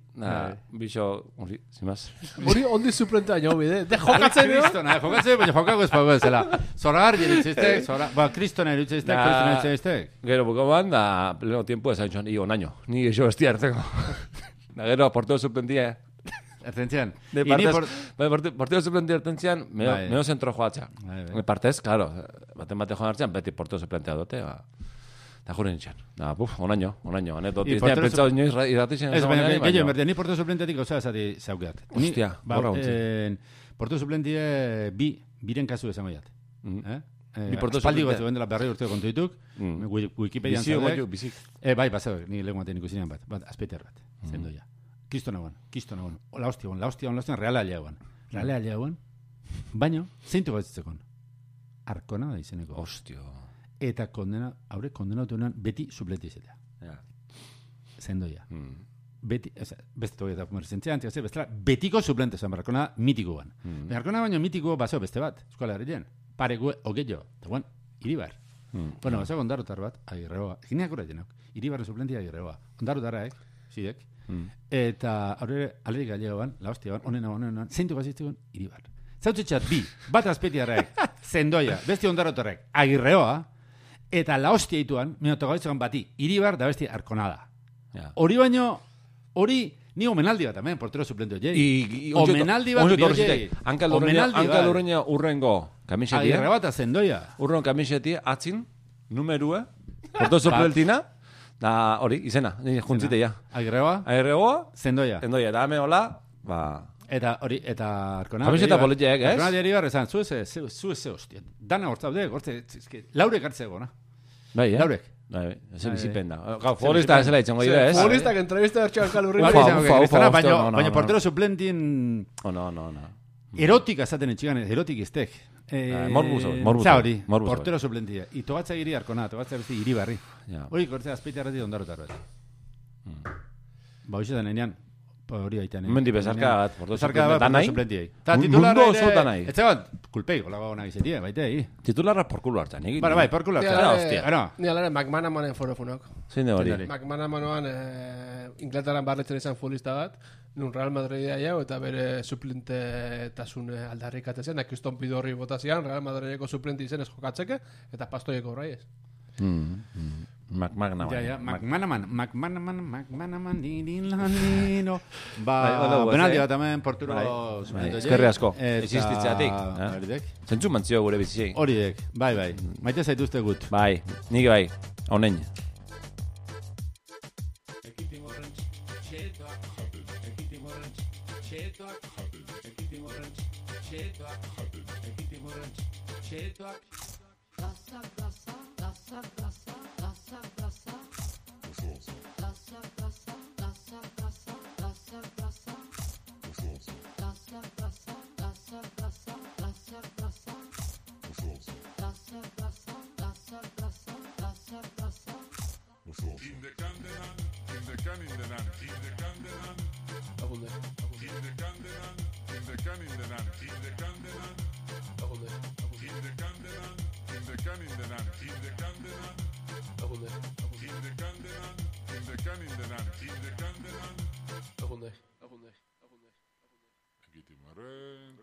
bixo, hori, zimaz. Hori ondi suplentea nio bide, de jokatzen, no? Kristona, jokatzen, baina jokako ez pago ezela. Zoragar jeritzeiztek, ba, kristona eritzeiztek, kristona eritzeiztek. Gero, bukoan, da, pleno tiempo esan joan, i onaino, ni eixo bestia hartzeko. Da, gero, porteo suplentia, Ertentzian. Porteo suplentia ertentzian, meo zentro joatza. Partez, claro, baten bate joan hartzean, beti porteo suplentia dote, ba. Da jure nintzen. Da, buf, onaino, onaino. Anetot, iztea pentsau inoiz irratixen. Ez, baina, gehiago, emertia, ni porteo suplentetik gauza esati zaukeat. Hostia, borra huntzi. Porteo suplentie bi, biren kasu esango jat. Bi porteo suplentie. Espaldi gozu bendela berri urteo kontu dituk. Wikipedian zaudek. Bizik, bizik. Bai, basau, ni lego maten ikusinean bat. Bat, azpeiter bat. Zendo ja. Kisto nagoen, kisto nagoen. La hostia, la hostia, la hostia, reala aliagoan. Reala aliagoan. Baino, zeintu gaitzekon. Arkona da izeneko. Hostia. Eta kondena, haure kondenatu honan beti suplente izatea. Ja. Zendoia. Mm. Beti, eza, beste toge eta komerzentzian, tia, bestela, betiko suplente zen, Arkona mitikoan. Mm. Arkona baino mitiko baso beste bat, eskola herrien. Paregu, ogeio, eta guan, Iribar. Mm. Bueno, baso ondarotar bat, agirreoa. Gineak ura jenok, Iribarren suplentia agirreoa. Ondarotaraek, zidek. Mm. Eta haure, alerik galegoan, la hostia ban, onena, onena, zeintu gazitzikon, Iribar. Zautzetxat bi, bat azpetiarrek, Zendoia, besti ondarotarrek, agirreoa, eta la hostia ituan, minotogabitzekan bati, Iribar da besti Arkonada. Hori yeah. Baino, hori, ni omenaldi bat, amen, portero suplente ojei. Omenaldi bat, ojei. Hanka lurreina urrengo kamisetia. Agirre bat Zendoia. Urrengo kamisetia, atzin, numerue, portero suplentina, da hori, izena, juntzite ja. Agirreoa. Agirreoa. Zendoia. Zendoia, da me hola, ba... Eta hori, eta Arkonada. Kamiseta politiek, ez? Arkonada Iribar esan, zu ez, zu ez, hostia. Dana hortzaude, hortze, laurek hartzeko, na? Bai, eh? Laurek. Bai, ez bizipen da. Gau, futbolista ez zela itxengo ide, ez? Futbolistak entrevista bertxo alkalurri. Ufa, ufa, ufa. Baina portero suplentin... Oh, no, no, no. Erotika esaten etxigan, erotik iztek. Morbuz hori, morbuz hori. Zahori, portero suplentia. Itogatza giri Arkonada, togatza besti Iribarri. Hori, kortzea, azpeite arrati ondarotar bat. Ba, hoxe da nenean. Hori aitan. Mendi bezarka bat, portero suplentiei. Ta titularra ere... Etxe bat, kulpei, gola gau nahi zetia, baita egi. Titularra porkulo hartzen, egin. Bara, bai, porkulo hartzen. Ni alare, McManamanen forofunok. Zein de hori? McManamanoan Inglaterran barretzen izan futbolista bat, nun Real Madridea jau, eta bere suplente tasun aldarrik atezen, Kriston Pidorri botazian, Real Madrideko suplente izen ez jokatzeke, eta pastoieko horrai ez. McManaman. Ja, ja, McManaman, McManaman, McManaman, nino. Ba, benaldi bat hemen porturo... Eskerri asko, existitzeatik. Zentzu mantzio gure biziei. Horiek, bai, bai. Maite zaituzte gut. Bai, nik bai, honen.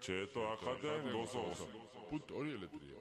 Ceto akaten gozoz. Put hori eletria.